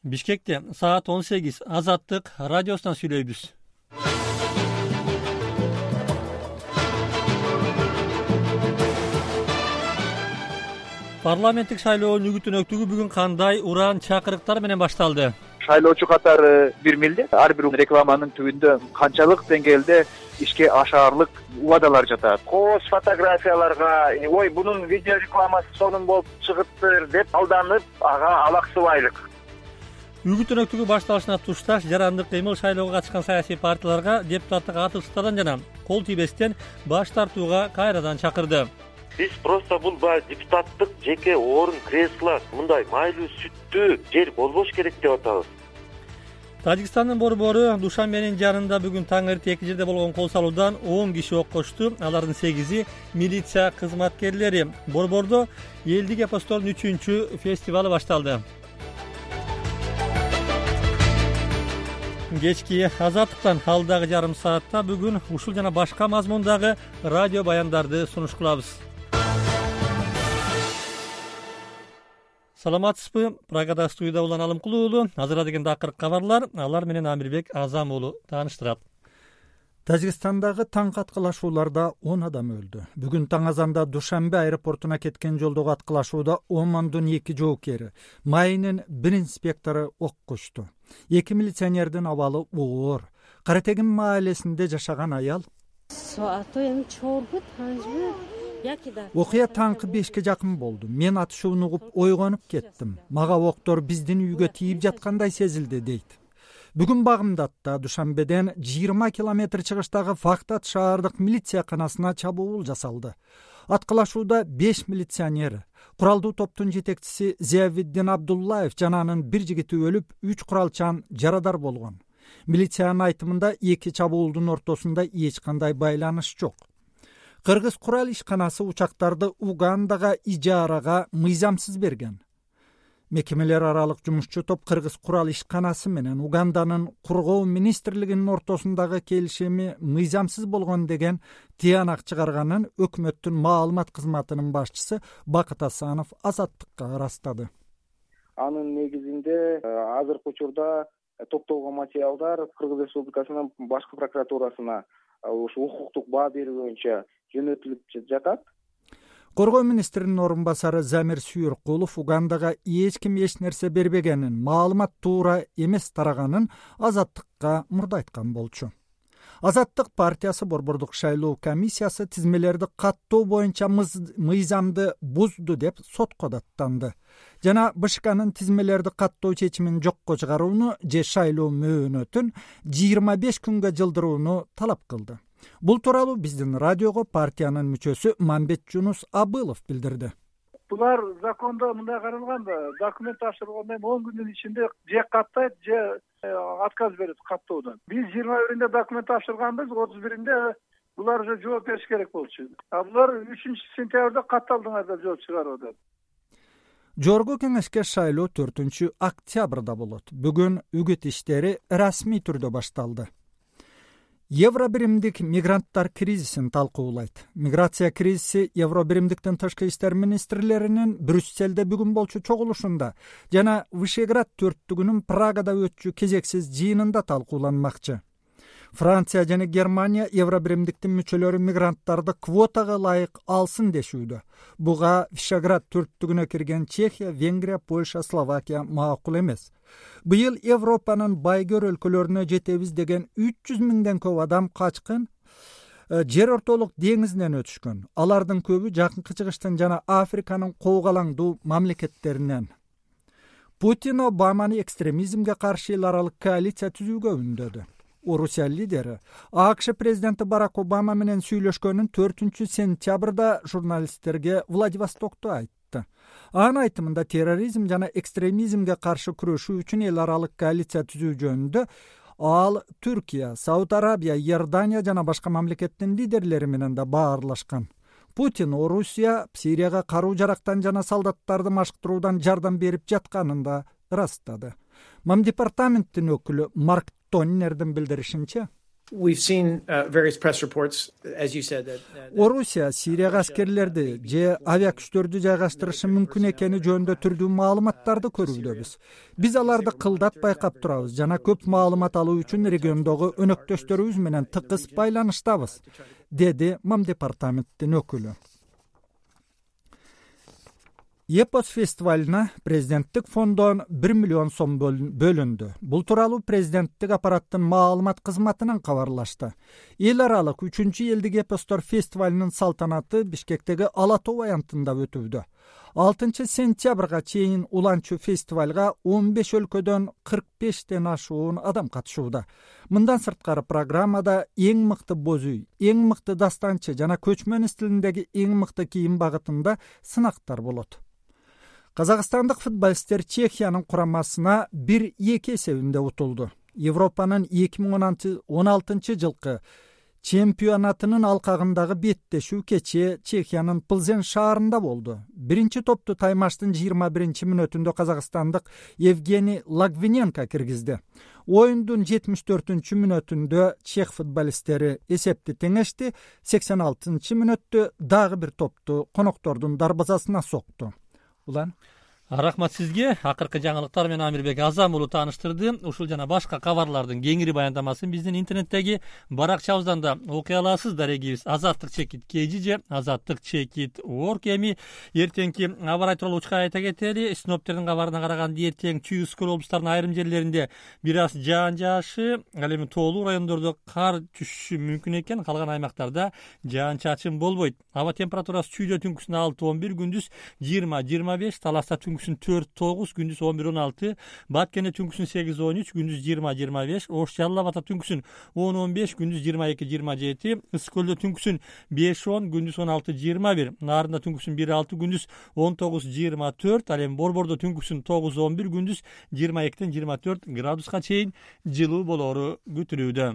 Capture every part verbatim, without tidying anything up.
Бишкекте саат он сегиз Азаттык радиосунан сүйлөйбүз. Парламенттик шайлоонун үгүт-өнөктүгү бүгүн кандай уран чакырыктар менен башталды? Шайлоочу катары бир милде. Ар бир рекламанын түбүндө канчалык деңгээлде ишке ашаарлык убадалар жатат. Кооз фотографияларга ой бунун видео рекламасы сонун болуп чыгыптыр деп алданып ага алаксыбайлык. Үгүт-өнөктүгү башталышына тушташ жарандык кыймыл шайлоого катышкан саясий партияларга депутаттык атышыктардан жана кол тийбестен баш тартууга кайрадан чакырды. Биз просто бул баягы депутаттык жеке орун, кресло, мындай майлуу сүттүү жер болбош керек деп атабыз. Тажикстандын борбору Душанбенин жанында бүгүн таң эрте эки жерде болгон кол салуудан он киши ок кошту. Алардын сегизи милиция кызматкерлери. Борбордо элдик эпостордун үчүнчү фестивалы башталды. Кечки Азаттыктан алдагы жарым саатта бүгүн ушул жана башка мазмундагы радио баяндарды сунуш кылабыз. Саламатсызбы? Прагада студияда Улан Алымкулуу уулу. Азыр деген акыркы кабарлар, алар менен Амирбек Азам уулу тааныштырат. Тажикстандагы таң аткылашууларда он адам өлдү. Бүгүн таң азанда Душанбе аэропортуна кеткен жолдогу аткылашууда Омондун эки жоокери, Майынын бир инспектору ок кучту. Эки милиционердин абалы оор. Каратегин маалесинде жашаган аял окуя таңкы бешке жакын болду. Мен атышууну угуп ойгонуп кеттим. Мага октор биздин үйгө тийип жаткандай сезилди, дейт. Бүгүн Багымдатта Душанбеден жыйырма километр чыгыштагы Фактат шаардык милиция канасына чабуул жасалды. Аткылашууда беш милиционер, куралдуу топтун жетекчиси Зиявиддин Абдуллаев жана анын бир жигити өлүп, үч куралчан жарадар болгон. Милициянын айтымында эки чабуулдун ортосунда эч кандай байланыш жок. Кыргыз курал ишканасы учактарды Угандага ижарага мыйзамсыз берген. Мекемелер аралык жумушчу топ Кыргыз курал ишканасы менен Уганданын кургоо министрлигинин ортосундагы келишими мыйзамсыз болгон деген тыянак чыгарганын өкмөттүн маалымат кызматынын башчысы Бакыт Асанов Азаттыкка ырастады. Анын негизинде азыркы учурда топтолгон материалдар Кыргыз Республикасынын башкы прокуратурасына ушу укуктук баа берүү боюнча жөнөтүлүп жатат. Коргоо министринин орун басары Замир Сүйөркулов Угандага эч ким эч нерсе бербегенин, маалымат туура эмес тараганын Азаттыкка мурда айткан болчу. Азаттык партиясы борбордук шайлоо комиссиясы тизмелерди каттоо боюнча мыйзамды бузду деп сотко даттанды. Жана БШКнын тизмелерди каттоо чечимин жокко чыгарууну же шайлоо мөөнөтүн жыйырма беш күнгө жылдырууну талап кылды. Бул тууралуу биздин радиого партиянын мүчөсү Мамбет Жунус Абылов билдирди. Булар закондо мындай каралган да, документ тапшыргандан он күндүн ичинде же каттайт, же отказ берет каттоодон. Биз жыйырма биринде документ тапшырганбыз, отуз биринде булар уже жооп бериш керек болчу. А булар үчүнчү сентябрда катталдыңар деп жооп чыгарып. Жогорку кеңешке шайлоо төртүнчү октябрда болот. Бүгүн үгүт иштери расмий түрдө башталды. Евробиримдик мигранттар кризисин талкуулайт. Миграция кризиси Евробиримдиктин тышкы иштер министрлеринин Брюсселде бүгүн болчу чогулушунда жана Вышеград төрттүгүнүн Прагада өтчү кезексиз жыйынында талкууланмакчы. Франция жана Германия Евробиримдиктин мүчөлөрү мигранттарды квотага ылайык алсын дешүүдө. Буга Вышеград төрттүгүнө кирген Чехия, Венгрия, Польша, Словакия макул эмес. Быйыл Европанын байгөр өлкөлөрүнө жетебиз деген үч жүз миңден көп адам качкын жер ортолук деңизинен өтүшкөн. Алардын көбү жакынкы чыгыштын жана Африканын коогалаңдуу мамлекеттеринен. Путин Обаманы экстремизмге каршы эл аралык коалиция түзүүгө үндөдү. Орусия лидери АКШ президенти Барак Обама менен сүйлөшкөнүн төртүнчү сентябрда журналисттерге Владивостокто айтты. Анын айтымында терроризм жана экстремизмге каршы күрөшүү үчүн эл аралык коалиция түзүү жөнүндө ал Түркия, Сауд Арабия, Иордания жана башка мамлекеттин лидерлери менен да баарлашкан. Путин Орусия Сирияга каруу жарактан жана солдаттарды машыктыруудан жардам берип жатканын да ырастады. Мам департаменттин өкүлү Марк Тоннердин билдиришинче, We've seen uh, various press reports, as you said, that, uh, Орусия Сирияга аскерлерди же авиа күчтөрдү жайгаштырышы мүмкүн экени жөнүндө түрдүү маалыматтарды көрүүбүз. Биз аларды кылдат байкап турабыз жана көп маалымат алуу үчүн региондогу өнөктөштөрүбүз менен тыкыз байланыштабыз, деди МАМ департаменттин өкүлү. Епос фестивалына президенттик фондон бир миллион сом бөлүндү. Бул тууралуу президенттик аппараттын маалымат кызматынан кабарлашты. Эл аралык үчүнчү элдик эпостор фестивалынын салтанаты Бишкектеги Ала тоо аянтында өтүүдө. алтынчы сентябрга чейин уланчу фестивалга он беш өлкөдөн кырк бештен ашуун адам катышууда. Мындан сырткары программада эң мыкты боз үй, эң мыкты дастанчы жана көчмөн стилиндеги эң мыкты кийим багытында сынактар болот. Казакстандык футболисттер Чехиянын курамасына бир эки эсебинде утулду. Европанын эки миң он алтынчы жылкы чемпионатынын алкагындагы беттешүү кечээ Чехиянын Плзен шаарында болду. Биринчи топту таймаштын жыйырма биринчи мүнөтүндө казакстандык Евгений Лагвиненко киргизди. Оюндун жетимиш төртүнчү мүнөтүндө чех футболисттери эсепти теңешти, сексен алтынчы мүнөттө дагы бир топту коноктордун дарбазасына сокту. Улан Рахмат сизге. Акыркы жаңылыктар менен Амирбек Азам уулу тааныштырды. Ушул жана башка кабарлардын кеңири баяндамасын биздин интернеттеги баракчабыздан да окуй аласыз. Дарегибиз азаттык чекит кж же азаттык чекит орг. Эми эртеңки аба ырайы тууралуу учка айта кетели. Синоптиктердин кабарына караганда эртең Чүй Өскөл облустарынын айрым жерлеринде бир аз жаан жаашы, ал эми тоолуу райондордо кар түшүшү мүмкүн экен. Калган аймактарда жаан чачын болбойт. Аба температурасы Чүйдө түнкүсүн алты он бир, күндүз жыйырма жыйырма беш, Таласта түнкүсүн төрт тогуз, күндүз он бир он алты, Баткенде түнкүсүн сегиз он үч, күндүз жыйырма жыйырма беш, Ош Жалал Абадта түнкүсүн он он беш, күндүз жыйырма эки жыйырма жети, Ысык-Көлдө түнкүсүн беш он, күндүз он алты жыйырма бир, Нарында түнкүсүн бир алты, күндүз он тогуз жыйырма төрт, ал эми Борбордо түнкүсүн тогуз он бир, күндүз жыйырма экиден жыйырма төрт градуска чейин жылуу болоору күтүлүүдө.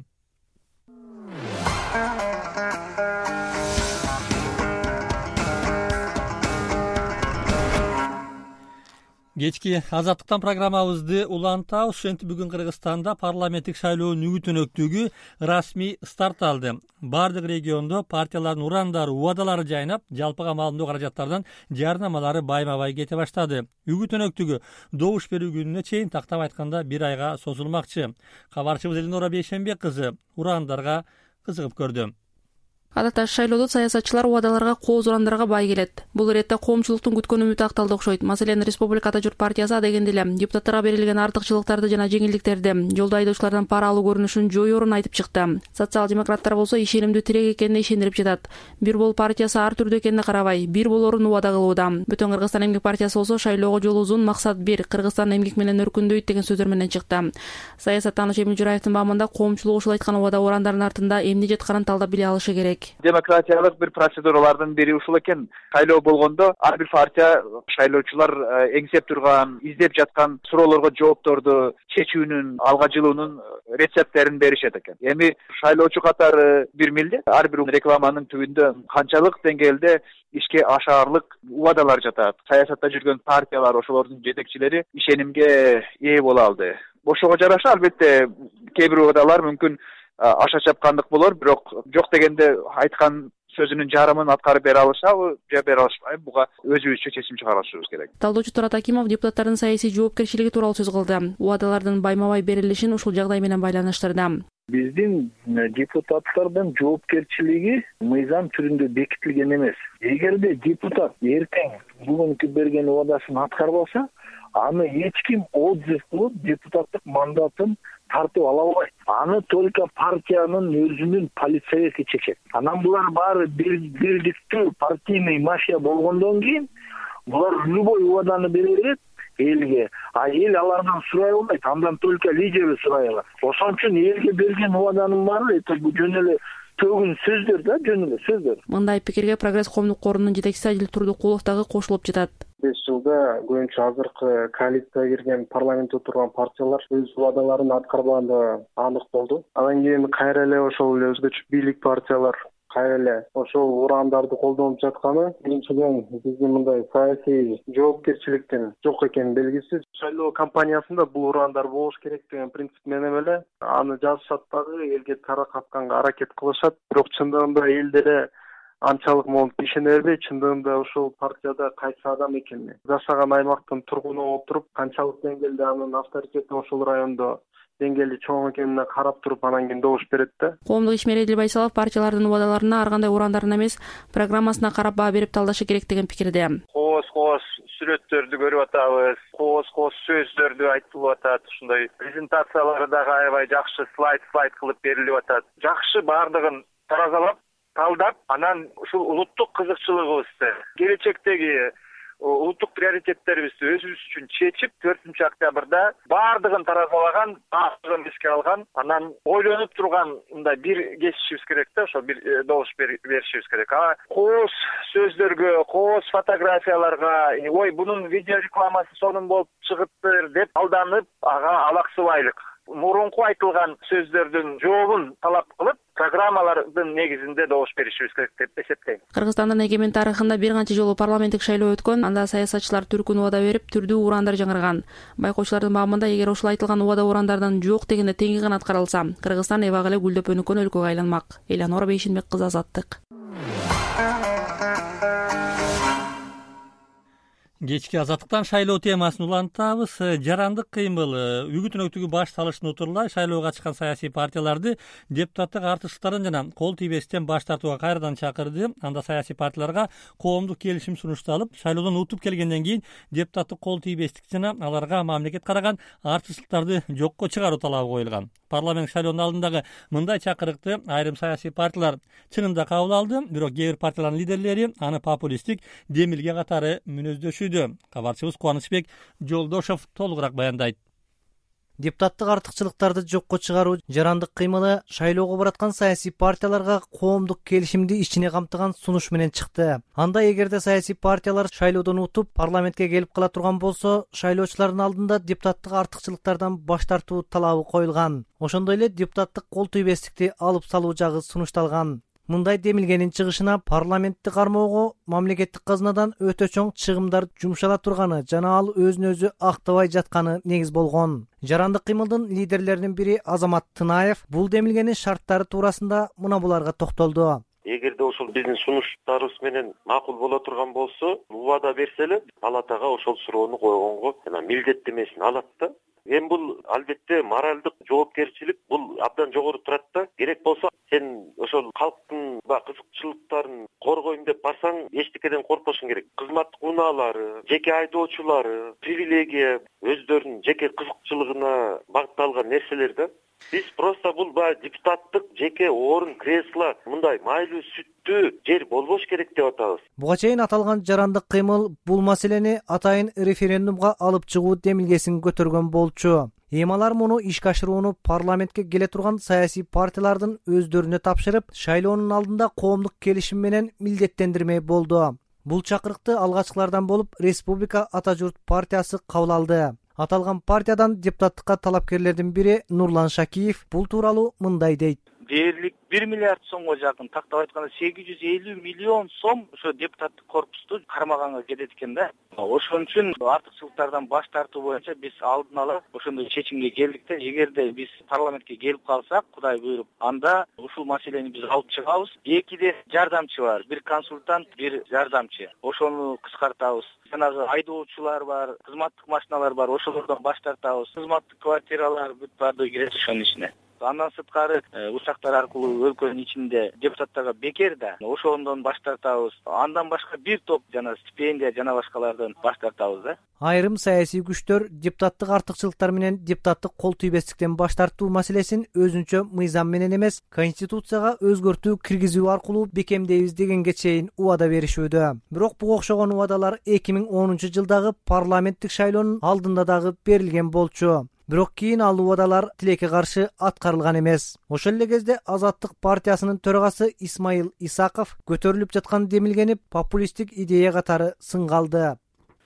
Кечки азаттыктан программабызды улантабыз. Ошентип бүгүн Кыргызстанда парламенттик шайлоонун үгүт өнөктүгү расмий старт алды. Бардык региондо партиялардын урандары, убадалары жайнап, жалпыга маалымдоо каражаттардан жарнамалары байма-бай кете баштады. Үгүт өнөктүгү добуш берүү күнүнө чейин тактап айтканда бир айга созулмакчы. Кабарчыбыз Элинора Бейшенбек кызы урандарга кызыгып көрдү. Адатта шайлоодо саясатчылар убадаларга, кооз урандарга бай келет. Бул иретте коомчулуктун күткөн үмүтү акталды окшойт. Маселен, Республика Ата журт партиясы адегенде эле депутаттарга берилген артыкчылыктарды жана жеңилдиктерди, жолдо айдоочулардан пара алуу көрүнүшүн жоюорун айтып чыкты. Социал демократтар болсо ишенимдүү тирек экенине ишендирип жатат. Бир бол партиясы ар түрдүү экенине карабай, бир болорун убада кылууда. Бүтүн Кыргызстан эмгек партиясы болсо шайлоого жол узун, максат бир, Кыргызстан эмгек менен өркүндөйт деген сөздөр менен чыкты. Саясаттануучу Эмил Жураевдин баамында коомчулук ушул айткан убада урандардын артында эмне жатканын талдап биле алышы керек. Демократиялык бир процедуралардын бири ушул экен. Шайлоо болгондо ар бир партия шайлоочулар эңсеп турган, издеп жаткан суроолорго жоопторду чечүүнүн, алга жылуунун рецепттерин беришет экен. Эми шайлоочу катары бир милдет. Ар бир рекламанын түбүндө канчалык деңгээлде ишке ашаарлык убадалар жатат. Саясатта жүргөн партиялар, ошолордун жетекчилери ишенимге ээ боло алды. Ошого жараша албетте кээ бир убадалар мүмкүн аша чапкандык болор, бирок жок дегенде айткан сөзүнүн жарымын аткарып бере алышабы же бере алышпайбы, буга өзүбүзчө чечим чыгарышыбыз керек. Талдоочу Турат Акимов депутаттардын саясий жоопкерчилиги тууралуу сөз кылды. Убадалардын байма-бай берилишин ушул жагдай менен байланыштырды. Биздин депутаттардын жоопкерчилиги мыйзам түрүндө бекитилген эмес. Эгерде депутат эртең бүгүнкү берген убадасын аткарбаса, аны эч ким отзыв кылып депутаттык мандатын тартып ала албайт. Аны только партиянын өзүнүн полицейси чечет. Анан булар баары бирдиктүү партийный мафия болгондон кийин булар любой убаданы бере берет элге, а эл алардан сурай албайт, андан только лидери сурай алат. Ошон үчүн элге берген убаданын баары это жөн эле төгүн сөздөр да, жөн эле сөздөр. Мындай пикирге Прогресс коомдук корунун жетекчиси Адил Турдукулов дагы кошулуп жатат. беш жылда көбүнчө азыркы коалицияга кирген парламентте турган партиялар өз убадаларын аткарбаганы анык болду. Анан кийин кайра эле ошол эле өзгөчө бийлик партиялар кайра эле ошол урандарды колдонуп жатканы биринчиден биздин мындай саясий жоопкерчиликтин жок экени белгисиз. Шайлоо кампаниясында бул урандар болуш керек деген принцип менен эле аны жазышат дагы, элге таракатканга аракет кылышат. Бирок чындыгында элдер анчалык монтип ишене бербейт. Чындыгында ошол партияда кайсы адам экени, жашаган аймактын тургуну болуп туруп, канчалык деңгээлде анын авторитети ошол райондо деңгээли чоң экенине карап туруп анан кийин добуш берет да. Коомдук ишмер Эдил Байсалов партиялардын убадаларына ар кандай урандарына эмес, программасына карап баа берип талдашы керек деген пикирде. Кооз-кооз сүрөттөрдү көрүп атабыз, кооз-кооз сөздөрдү айтылып атат, ушундай презентациялары дагы аябай жакшы слайд-слайд кылып берилип атат. Жакшы баардыгын таразалап, талдап, анан ушул улуттук кызыкчылыгыбызды, келечектеги улуттук приоритеттерибизди өзүбүз үчүн чечип, төртүнчү октябрда баардыгын таразалаган, баардыгын эске алган, анан ойлонуп турган мындай бир кесишибиз керек да, ошо бир добуш беришибиз керек. А кооз сөздөргө, кооз фотографияларга, ой, бунун видео рекламасы сонун болуп чыгыптыр деп алданып, ага алаксыбайлык. Мурунку айтылган сөздөрдүн жообун талап кылып, программалардын негизинде добуш беришибиз керек деп эсептейм. Кыргызстандын эгемен тарыхында бир канча жолу парламенттик шайлоо өткөн, анда саясатчылар түркүн убада берип, түрдүү урандар жаңырган. Байкоочулардын баамында эгер ушул айтылган убада урандардан жок дегенде теңи канат каралса, Кыргызстан эбак эле гүлдөп өнүккөн өлкөгө айланмак. Эланора Бейшенбек кызы, Азаттык. Кечки Азаттыктан шайлоо темасын улантабыз. Жарандык кыймыл үгүтүн өктүгү баш салыштын утурлай шайлоого чыккан саясий партияларды депутаттык артыкчылыктардан жана кол тийбестен баш тартууга кайрадан чакырды. Анда саясий партияларга коомдук келишим сунушталып, шайлоодон утуп келгенден кийин депутаттык кол тийбестик жана аларга мамлекет караган артыкчылыктарды жокко чыгаруу талабы коюлган. Парламент шайлоонун алдындагы мындай чакырыкты айрым саясий партиялар чынында кабыл алды, бирок кээ бир партиялардын лидерлери аны популисттик демилге катары мүнөздөшүүдө. Кабарчыбыз Кубанычбек Жолдошов толугураак баяндайт. Депутаттык артыкчылыктарды жокко чыгаруу жарандык кыймылы шайлоого бараткан саясий партияларга коомдук келишимди ичине камтыган сунуш менен чыкты. Анда эгерде саясий партиялар шайлоодон утуп парламентке келип кала турган болсо, шайлоочулардын алдында депутаттык артыкчылыктардан баш тартуу талабы коюлган. Ошондой эле депутаттык кол тийбестикти алып салуу жагы сунушталган. Мындай демилгенин чыгышына парламентти кармоого мамлекеттик казынадан өтө чоң чыгымдар жумшала турганы жана ал өзүн өзү актабай жатканы негиз болгон. Жарандык кыймылдын лидерлеринин бири Азамат Тынаев бул демилгенин шарттары туурасында мына буларга токтолду. Эгерде ошол биздин сунуштарыбыз менен макул боло турган болсо, убада берсе эле палатага ошол суроону койгонго жана милдеттемесин алат да. Эми бул албетте моралдык жоопкерчилик бул абдан жогору турат да. Керек болсо сен ошол калктын кызыкчылыктарын коргойм деп барсаң, эчтекеден коркпошуң керек. Кызматтык унаалары, жеке айдоочулары, привилегия, өздөрүнүн жеке кызыкчылыгына багытталган нерселер да. Биз просто бул баягы депутаттык жеке орун, кресло, мындай майлуу сүттүү жер болбош керек деп атабыз. Буга чейин аталган жарандык кыймыл бул маселени атайын референдумга алып чыгуу демилгесин көтөргөн болчу. Эми алар муну ишке ашырууну парламентке келе турган саясий партиялардын өздөрүнө тапшырып, шайлоонун алдында коомдук келишим менен милдеттендирмей болду. Бул чакырыкты алгачкылардан болуп Республика Ата журт партиясы кабыл алды. Аталган партиядан депутаттыкка талапкерлердин бири Нурлан Шакиев бул тууралуу мындай дейт. Дээрлик бир миллиард сомго жакын, тактап айтканда сегиз жүз элүү миллион сом ошо депутаттык корпусту кармаганга кетет экен да. Ошон үчүн артыкчылыктардан баш тартуу боюнча биз алдын ала ошондой чечимге келдик да. Эгерде биз парламентке келип калсак, Кудай буйруп, анда ушул маселени биз алып чыгабыз. Экиде жардамчы бар, бир консультант, бир жардамчы. Ошону кыскартабыз. Жанагы айдоочулар бар, кызматтык машиналар бар, ошолордон баш тартабыз. Кызматтык квартиралар бүт баардыгы кирет ошонун ичине. Андан сырткары учактар аркылуу өлкөнүн ичинде депутаттарга бекер да, ошондон баш тартабыз. Андан башка бир топ жана стипендия жана башкалардан баш тартабыз да. Айрым саясий күчтөр депутаттык артыкчылыктар менен депутаттык кол тийбестиктен баш тартуу маселесин өзүнчө мыйзам менен эмес, конституцияга өзгөртүү киргизүү аркылуу бекемдейбиз дегенге чейин убада беришүүдө. Бирок буга окшогон убадалар эки миң онунчу жылдагы парламенттик шайлоонун алдында дагы берилген болчу. Бирок кийин ал убадалар тилекке каршы аткарылган эмес. Ошол эле кезде Азаттык партиясынын төрагасы Исмаил Исаков көтөрүлүп жаткан демилгени популисттик идея катары сынга алды.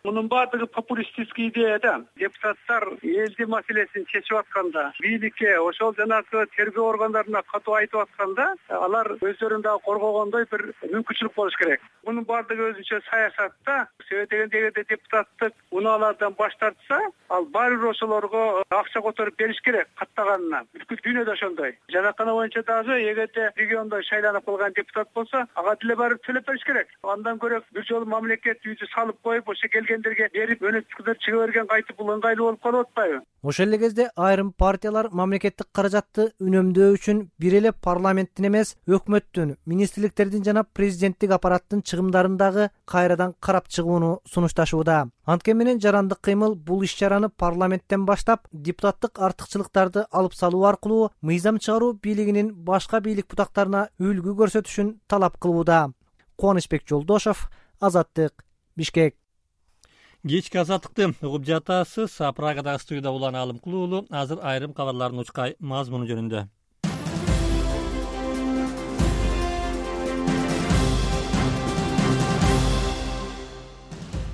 Мунун баардыгы популистический идея да. Депутаттар элдин маселесин чечип атканда, бийликке, ошол жанагы тергөө органдарына катуу айтып атканда, алар өздөрүн дагы коргогондой бир мүмкүнчүлүк болуш керек. Мунун баардыгы өзүнчө саясатта. Себеби дегенде эгерде депутаттык унаалардан баш тартса, ал баары бир ошолорго акча которуп бериш керек каттаганына. Бүткүл дүйнөдө ошондой. Жанакана боюнча дагы эгерде региондо шайланып калган депутат болсо, ага деле барып төлөп бериш керек. Андан көрө бир жолу мамлекет үйдү салып коюп, ошо келгендерге берип, өнөктүктөр чыга берген кайтып бул ыңгайлуу болуп калып атпайбы? Ошол эле кезде айрым партиялар мамлекеттик каражатты үнөмдөө үчүн бир эле парламенттин эмес, өкмөттүн, министрликтердин жана президенттик аппараттын чыгымдарын дагы кайрадан карап чыгууну сунушташууда. Анткени менен жарандык кыймыл бул иш-чараны парламенттен баштап, депутаттык артыкчылыктарды алып салуу аркылуу мыйзам чыгаруу бийлигинин башка бийлик бутактарына үлгү көрсөтүшүн талап кылууда. Кубанычбек Жолдошов, Азаттык, Бишкек. Кечки азаттыкты угуп жатасыз. Прагадагы студияда улан Алымкул уулу. Азыр айрым кабарлардын учкай мазмуну жөнүндө.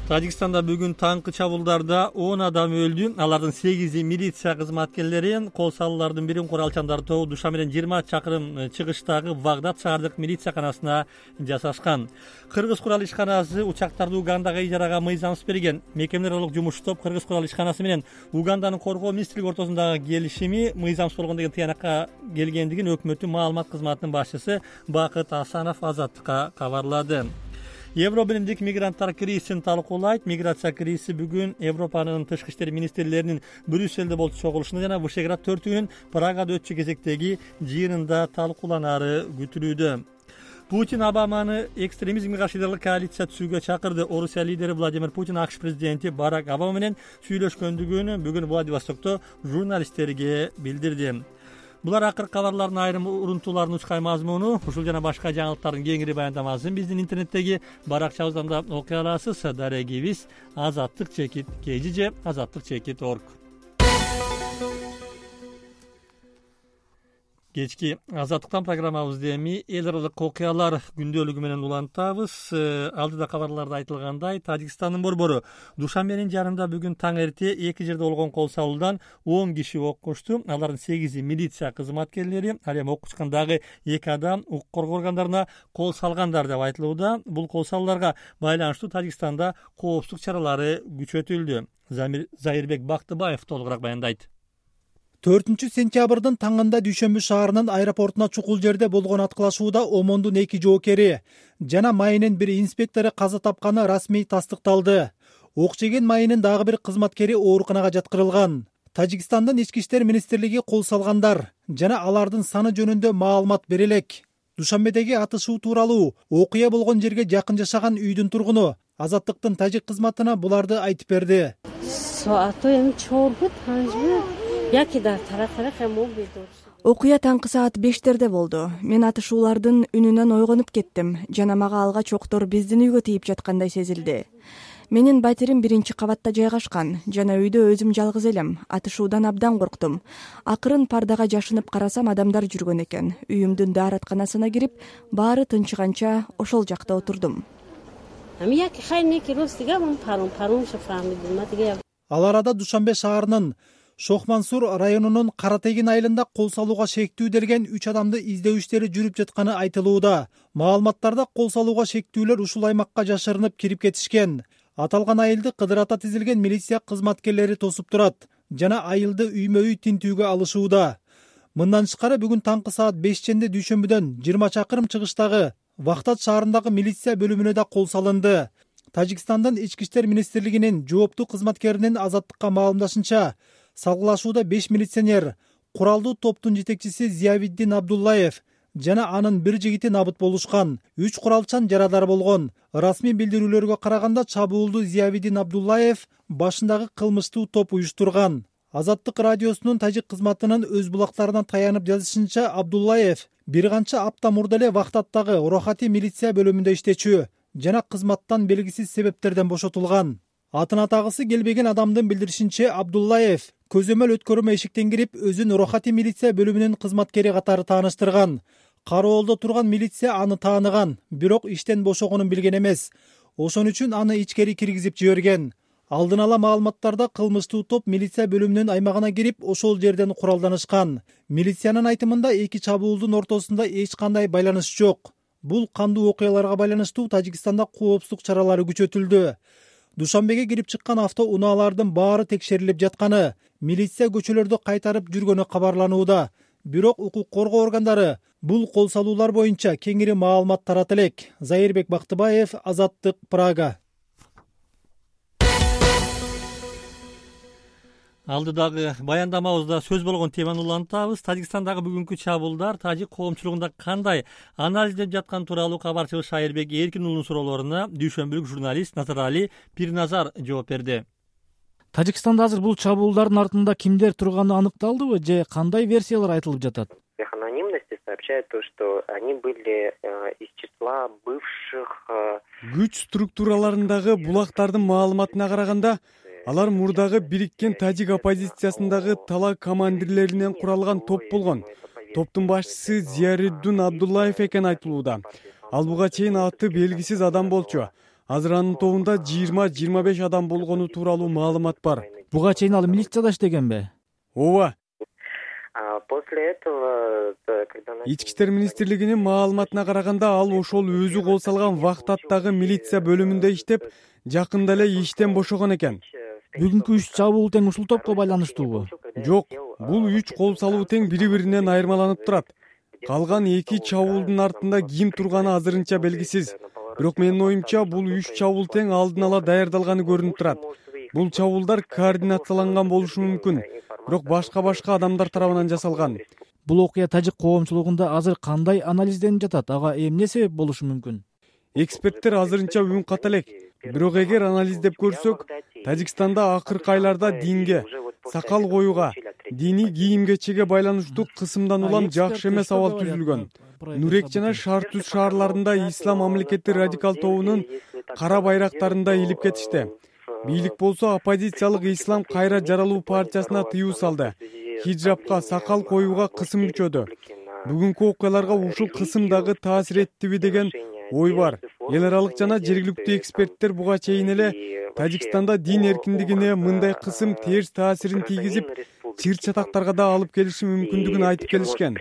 Тажикстанда бүгүн таңкы чабуулдарда он адам өлдү. Алардын сегизи милиция кызматкерлери. Кол салуулардын бирин куралчандар тобу Душанбеден жыйырма чакырым чыгыштагы Вагдат шаардык милицияканасына жасашкан. Кыргыз курал ишканасы учактарды Угандага ижарага мыйзамсыз берген. Мекемелер аралык жумуш топ Кыргыз курал ишканасы менен Уганданын коргоо министрлиги ортосундагы келишими мыйзамсыз болгон деген тыянакка келгендигин өкмөттүн маалымат кызматынын башчысы Бакыт Асанов Азаттыкка кабарлады. Евробиримдик мигранттар кризисин талкуулайт. Миграция кризиси бүгүн Европанын тышкы иштер министрлеринин Брюсселде болчу чогулушунда жана Вышеград төртүгүнүн Прагада өтчү кезектеги жыйынында талкууланары күтүлүүдө. Путин Обаманы экстремизмге каршы идеялык коалиция түзүүгө чакырды. Орусия лидери Владимир Путин АКШ президенти Барак Обама менен сүйлөшкөндүгүн бүгүн Владивостокто журналисттерге билдирди. Булар акыркы кабарлардын айрым урунтууларынын учкай мазмуну. Ушул жана башка жаңылыктардын кеңири баяндамасын биздин интернеттеги баракчабыздан да окуй аласыз. Дарегибиз азаттык чекит kg же азаттык чекит org. Кечки азаттыктан программабызды эми эл аралык окуялар күндөлүгү менен улантабыз. Алдыда кабарларда айтылгандай, Тажикстандын борбору Душанбенин жарында бүгүн таң эрте эки жерде болгон кол салуудан он киши ок кочту. Алардын сегизи милиция кызматкерлери, ал эми ок кучкан дагы эки адам укук коргоо органдарына кол салгандар деп айтылууда. Бул кол салууларга байланыштуу Тажикстанда коопсуздук чаралары күчөтүлдү. Зайырбек Бактыбаев толугураак баяндайт. төртүнчү сентябрдын таңында Дүйшөмбү шаарынын аэропортуна чукул жерде болгон аткылашууда омондун эки жоокери жана майынын бир инспектору каза тапканы расмий тастыкталды. Ок жеген майынын дагы бир кызматкери ооруканага жаткырылган. Тажикстандын ички иштер министрлиги кол салгандар жана алардын саны жөнүндө маалымат бере элек. Душанбедеги атышуу тууралуу окуя болгон жерге жакын жашаган үйдүн тургуну Азаттыктын тажик кызматына буларды айтып берди. Окуя таңкы саат бештерде болду. Мен атышуулардын үнүнөн ойгонуп кеттим жана мага алгач октор биздин үйгө тийип жаткандай сезилди. Менин батирим биринчи кабатта жайгашкан жана үйдө өзүм жалгыз элем. Атышуудан абдан корктум. Акырын пардага жашынып карасам адамдар жүргөн экен. Үйүмдүн дааратканасына кирип, баары тынчыганча ошол жакта отурдум. Ал арада Душанбе шаарынын Шохмансур районунун Каратегин айылында кол салууга шектүү делген үч адамды издөө иштери жүрүп жатканы айтылууда. Маалыматтарда кол салууга шектүүлөр ушул аймакка жашырынып кирип кетишкен. Аталган айылды кыдырата тизилген милиция кызматкерлери тосуп турат жана айылды үймө-үй тинтүүгө алышууда. Мындан тышкары бүгүн таңкы саат бешченде Дүйшөмбүдөн жыйырма чакырым чыгыштагы Вагдат шаарындагы милиция бөлүмүнө да кол салынды. Тажикстандын ички иштер министрлигинин жооптуу кызматкеринин Азаттыкка маалымдашынча, салгылашууда беш милиционер, куралдуу топтун жетекчиси Зиявиддин Абдуллаев жана анын бир жигити набыт болушкан. Үч куралчан жарадар болгон. Расмий билдирүүлөргө караганда чабуулду Зиявиддин Абдуллаев башындагы кылмыштуу топ уюштурган. Азаттык радиосунун тажик кызматынын өз булактарына таянып жазышынча, Абдуллаев бир канча апта мурда эле Вагдаттагы Рохати милиция бөлүмүндө иштечү жана кызматтан белгисиз себептерден бошотулган. Атын атагысы келбеген адамдын билдиришинче, Абдуллаев көзөмөл өткөрмө эшиктен кирип, өзүн Рохати милиция бөлүмүнүн кызматкери катары тааныштырган. Кароолдо турган милиция аны тааныган, бирок иштен бошогонун билген эмес. Ошон үчүн аны ичкери киргизип жиберген. Алдын ала маалыматтарда кылмыштуу топ милиция бөлүмүнүн аймагына кирип, ошол жерден куралданышкан. Милициянын айтымында эки чабуулдун ортосунда эч кандай байланыш жок. Бул кандуу окуяларга байланыштуу Тажикстанда коопсуздук чаралары күчөтүлдү. Душанбеге кирип чыккан автоунаалардын баары текшерилип жатканы, милиция көчөлөрдү кайтарып жүргөнү кабарланууда. Бирок укук коргоо органдары бул кол салуулар боюнча кеңири маалымат тарата элек. Зайырбек Бактыбаев, Азаттык, Прага. Алдыдагы баяндамабызда сөз болгон теманы улантабыз. Тажикстандагы бүгүнкү чабуулдар тажик коомчулугунда кандай анализдеп жаткан тууралуу кабарчыбыз Шайырбек Эркин уулунун суроолоруна дүйшөмбүлүк журналист Назарали Пирназар жооп берди. Тажикстанда азыр бул чабуулдардын артында кимдер турганы аныкталдыбы же кандай версиялар айтылып жатат? Анонимности сообщают то, что они были из числа бывших. Күч структураларындагы булактардын маалыматына караганда, алар мурдагы бириккен тажик оппозициясындагы тала командирлеринен куралган топ болгон. Топтун башчысы Зияриддин Абдуллаев экен айтылууда. Ал буга чейин аты белгисиз адам болчу. Азыр анын тобунда жыйырма жыйырма беш адам болгону тууралуу маалымат бар. Буга чейин ал милицияда иштегенби? Ооба. После этого, когда Ички иштер министрлигинин маалыматына караганда, ал ошол өзү кол салган Вахтаттагы милиция бөлүмүндө иштеп, жакында эле иштен бошогон экен. Бүгүнкү үч чабуул тең ушул топко байланыштуубу? Жок, бул үч кол салуу тең бири-биринен айырмаланып турат. Калган эки чабуулдун артында ким турганы азырынча белгисиз. Бирок менин оюмча, бул үч чабуул тең алдын ала даярдалганы көрүнүп турат. Бул чабуулдар координацияланган болушу мүмкүн, бирок башка-башка адамдар тарабынан жасалган. Бул окуя тажик коомчулугунда азыр кандай анализденип жатат? Ага эмне себеп болушу мүмкүн? Эксперттер азырынча үн ката элек. Бирок эгер анализдеп көрсөк, Тажикстанда акыркы айларда динге, сакал коюуга, диний кийим-кечеге байланыштуу кысымдан улам жакшы эмес абал түзүлгөн. Нурек жана Шартүз шаарларында ислам мамлекети радикал тобунун кара байрактарында илип кетишти. Бийлик болсо оппозициялык Ислам кайра жаралуу партиясына тыюу салды. Хиджабка, сакал коюуга кысым күчөдү. Бүгүнкү окуяларга ушул кысым дагы таасир эттиби деген ой бар. Эл аралык жана жергиликтүү эксперттер буга чейин эле Тажикстанда дин эркиндигине мындай кысым терс таасирин тийгизип, чыр-чатактарга да алып келиши мүмкүндүгүн айтып келишкен.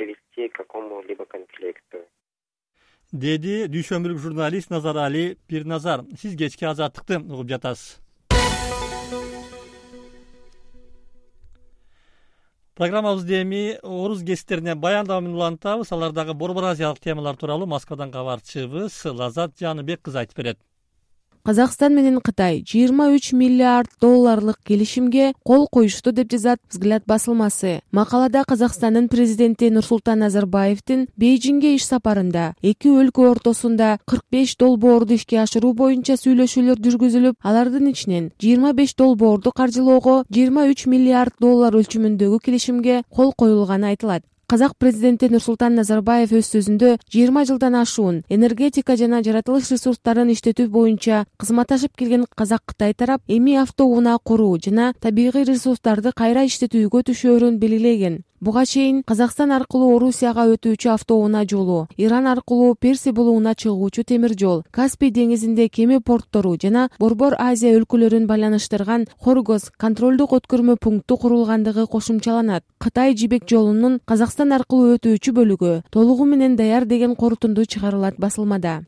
Деди дүйшөмбүлүк журналист Назарали Пирназар. Сиз кечки Азаттыкты угуп жатасыз. Программабызды эми орус кесиптерине баяндама менен улантабыз. Алардагы Борбор Азиялык темалар тууралуу Москвадан кабарчыбыз Лазат Жаныбек кызы айтып берет. Казакстан менен Кытай жыйырма үч миллиард долларлык келишимге кол коюшту деп жазат Взгляд басылмасы. Макалада Казакстандын президенти Нурсултан Назарбаевдин Бейжиңге иш сапарында эки өлкө ортосунда кырк беш долбоорду ишке ашыруу боюнча сүйлөшүүлөр жүргүзүлүп, алардын ичинен жыйырма беш долбоорду каржылоого жыйырма үч миллиард доллар өлчөмүндөгү келишимге кол коюлганы айтылат. Казак президенти Нурсултан Назарбаев өз сөзүндө жыйырма жылдан ашуун энергетика жана жаратылыш ресурстарын иштетүү боюнча кызматташып келген Казак-Кытай тарап эми автоунаа куруу жана табигый ресурстарды кайра иштетүүгө түшөөрүн белгилеген. Буга чейин Казакстан аркылуу Орусияга өтүүчү автоунаа жолу, Иран аркылуу Перси булууна чыгуучу темир жол, Каспий деңизинде кеме порттору жана Борбор Азия өлкөлөрүн байланыштырган Хоргоз контролдук өткөрмө пункту курулгандыгы кошумчаланат. Кытай жибек жолунун Казакстан аркылуу өтүүчү бөлүгү толугу менен даяр деген корутунду чыгарылат басылмада.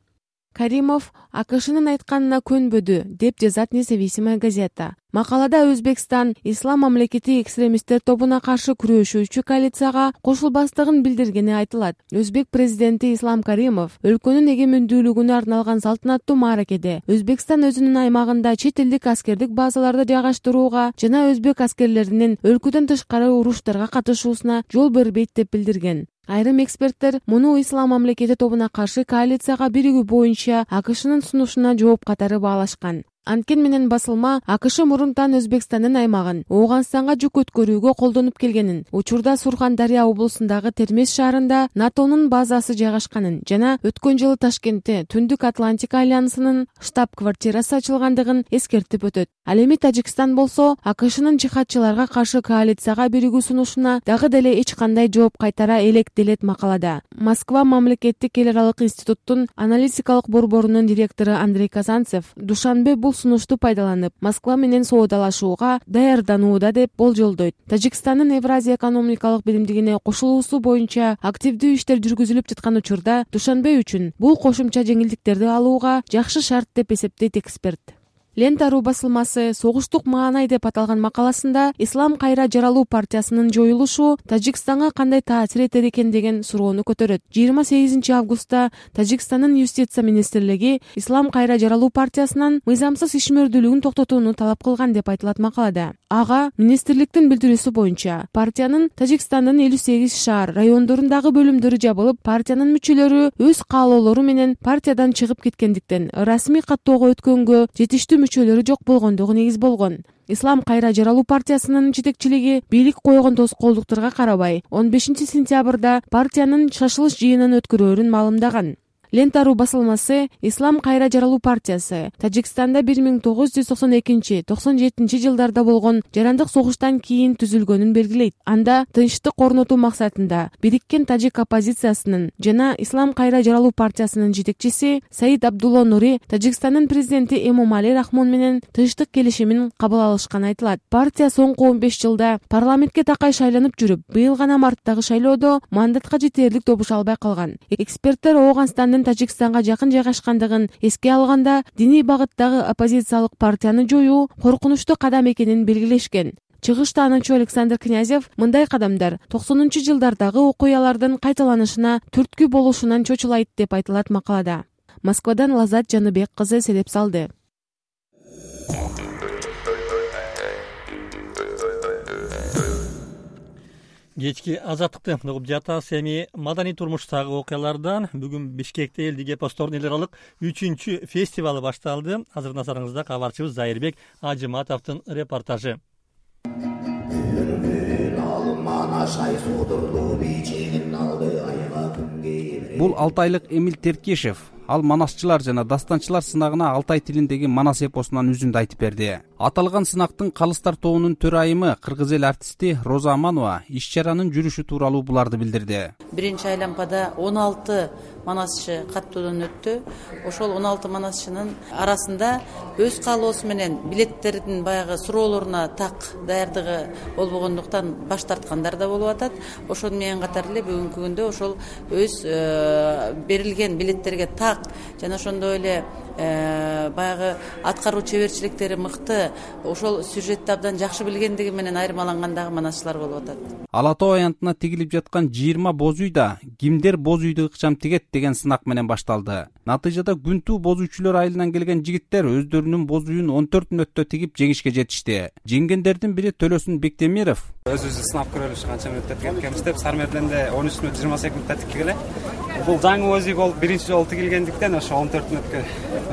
Каримов АКШнын айтканына көнбөдү, деп жазат Независимая газета. Макалада Өзбекстан ислам мамлекети экстремисттер тобуна каршы күрөшүүчү коалицияга кошулбастыгын билдиргени айтылат. Өзбек президенти Ислам Каримов өлкөнүн эгемендүүлүгүнө арналган салтанаттуу мааракеде Өзбекстан өзүнүн аймагында чет элдик аскердик базаларды жайгаштырууга жана өзбек аскерлеринин өлкөдөн тышкары уруштарга катышуусуна жол бербейт деп билдирген. Айрым эксперттер муну ислам мамлекети тобуна каршы коалицияга биригүү боюнча АКШнын сунушуна жооп катары баалашкан. Анткени менен басылма АКШ мурунтан Өзбекстандын аймагын Ооганстанга жүк өткөрүүгө колдонуп келгенин, учурда Сурхан-Дарья облусундагы Термез шаарында НАТОнун базасы жайгашканын жана өткөн жылы Ташкентте Түндүк Атлантика альянсынын штаб-квартирасы ачылгандыгын эскертип өтөт. Ал эми Тажикстан болсо АКШнын жихадчыларга каршы коалицияга биригүү сунушуна дагы деле эч кандай жооп кайтара элек делет макалада. Москва мамлекеттик эл аралык институттун аналитикалык борборунун директору Андрей Казанцев Душанбе бул сунушту пайдаланып Москва менен соодалашууга даярданууда деп болжолдойт. Тажикстандын Евразия экономикалык биримдигине кошулуусу боюнча активдүү иштер жүргүзүлүп жаткан учурда Душанбе үчүн бул кошумча жеңилдиктерди алууга жакшы шарт деп эсептейт эксперт. Лента.ру басылмасы согуштук маанай деп аталган макаласында Ислам кайра жаралуу партиясынын жоюлушу Тажикстанга кандай таасир этер экен деген суроону көтөрөт. жыйырма сегизинчи августта Тажикстандын юстиция министрлиги Ислам кайра жаралуу партиясынан мыйзамсыз ишмердүүлүгүн токтотууну талап кылган деп айтылат макалада. Ага министрликтин билдирүүсү боюнча партиянын Тажикстандын элүү сегиз шаар райондорундагы бөлүмдөрү жабылып, партиянын мүчөлөрү өз каалоолору менен партиядан чыгып кеткендиктен расмий каттоого өткөнгө жетиштүү мүчөлөрү жок болгондугу негиз болгон. Ислам кайра жаралуу партиясынын жетекчилиги бийлик койгон тоскоолдуктарга карабай он бешинчи сентябрда партиянын шашылыш жыйынын өткөрөөрүн маалымдаган. Лента.ру басылмасы Ислам кайра жаралуу партиясы Тажикстанда бир миң тогуз жүз токсон экинчи — токсон жетинчи жылдарда болгон жарандык согуштан кийин түзүлгөнүн белгилейт. Анда тынчтык орнотуу максатында бириккен тажик оппозициясынын жана Ислам кайра жаралуу партиясынын жетекчиси Саид Абдулла Нури Тажикстандын президенти Эмомали Рахмон менен тынчтык келишимин кабыл алышканы айтылат. Партия соңку он беш жылда парламентке такай шайланып жүрүп, быйыл гана марттагы шайлоодо мандатка жетерлик добуша албай калган. Эксперттер Ооганстандын Тажикстанга жакын жайгашкандыгын эске алганда диний багыттагы оппозициялык партияны жоюу коркунучтуу кадам экенин белгилешкен. Чыгыш таануучу Александр Князев мындай кадамдар токсонунчу жылдардагы окуялардын кайталанышына түрткү болушунан чочулайт деп айтылат макалада. Москвадан Лазат Жаныбек кызы селеп салды. Кечки азаттыкты угуп жатабыз. Эми маданий турмуштагы окуялардан бүгүн Бишкекте элдик эпостордун эл аралык үчүнчү фестивалы башталды. Азыр назарыңызда кабарчыбыз Зайырбек Ажыматовдун репортажы. Бул алты айлык Эмил Теркешев. Ал манасчылар жана дастанчылар сынагына алтай тилиндеги манас эпосунан үзүндү айтып берди. Аталган сынактын калыстар тобунун төрайымы кыргыз эл артисти Роза Аманова иш-чаранын жүрүшү тууралуу буларды билдирди. Биринчи айлампада он алты манасчы каттоодон өттү. Ошол он алты манасчынын арасында өз каалоосу менен билеттердин баягы суроолоруна так даярдыгы болбогондуктан баш тарткандар да болуп атат. Ошону менен катар эле бүгүнкү күндө ошол өз берилген билеттерге так жана ошондой эле баягы аткаруу чеберчиликтери мыкты, ошол сюжетти абдан жакшы билгендиги менен айырмалангандагы манасчылар болуп атат. Ала Тоо аянтына тигилип жаткан жыйырма боз үйдө кимдер боз үйдү ыкчам тигет деген сынак менен башталды. Натыйжада күнтүү боз үйчүлөр айылынан келген жигиттер өздөрүнүн боз үйүн он төрт мүнөттө тигип жеңишке жетишти. Жеңгендердин бири Төлөсүн Бектемиров өзүбүз сынап көрөлүш канча мүнөттө тигеткенбиз деп Сармерден да он үч мүнөт жыйырма сегиз мүнөттө тиккиле. Бул жаңы боз үй болуп биринчи жолу тигилгендиктен ошо он төрт мүнөткө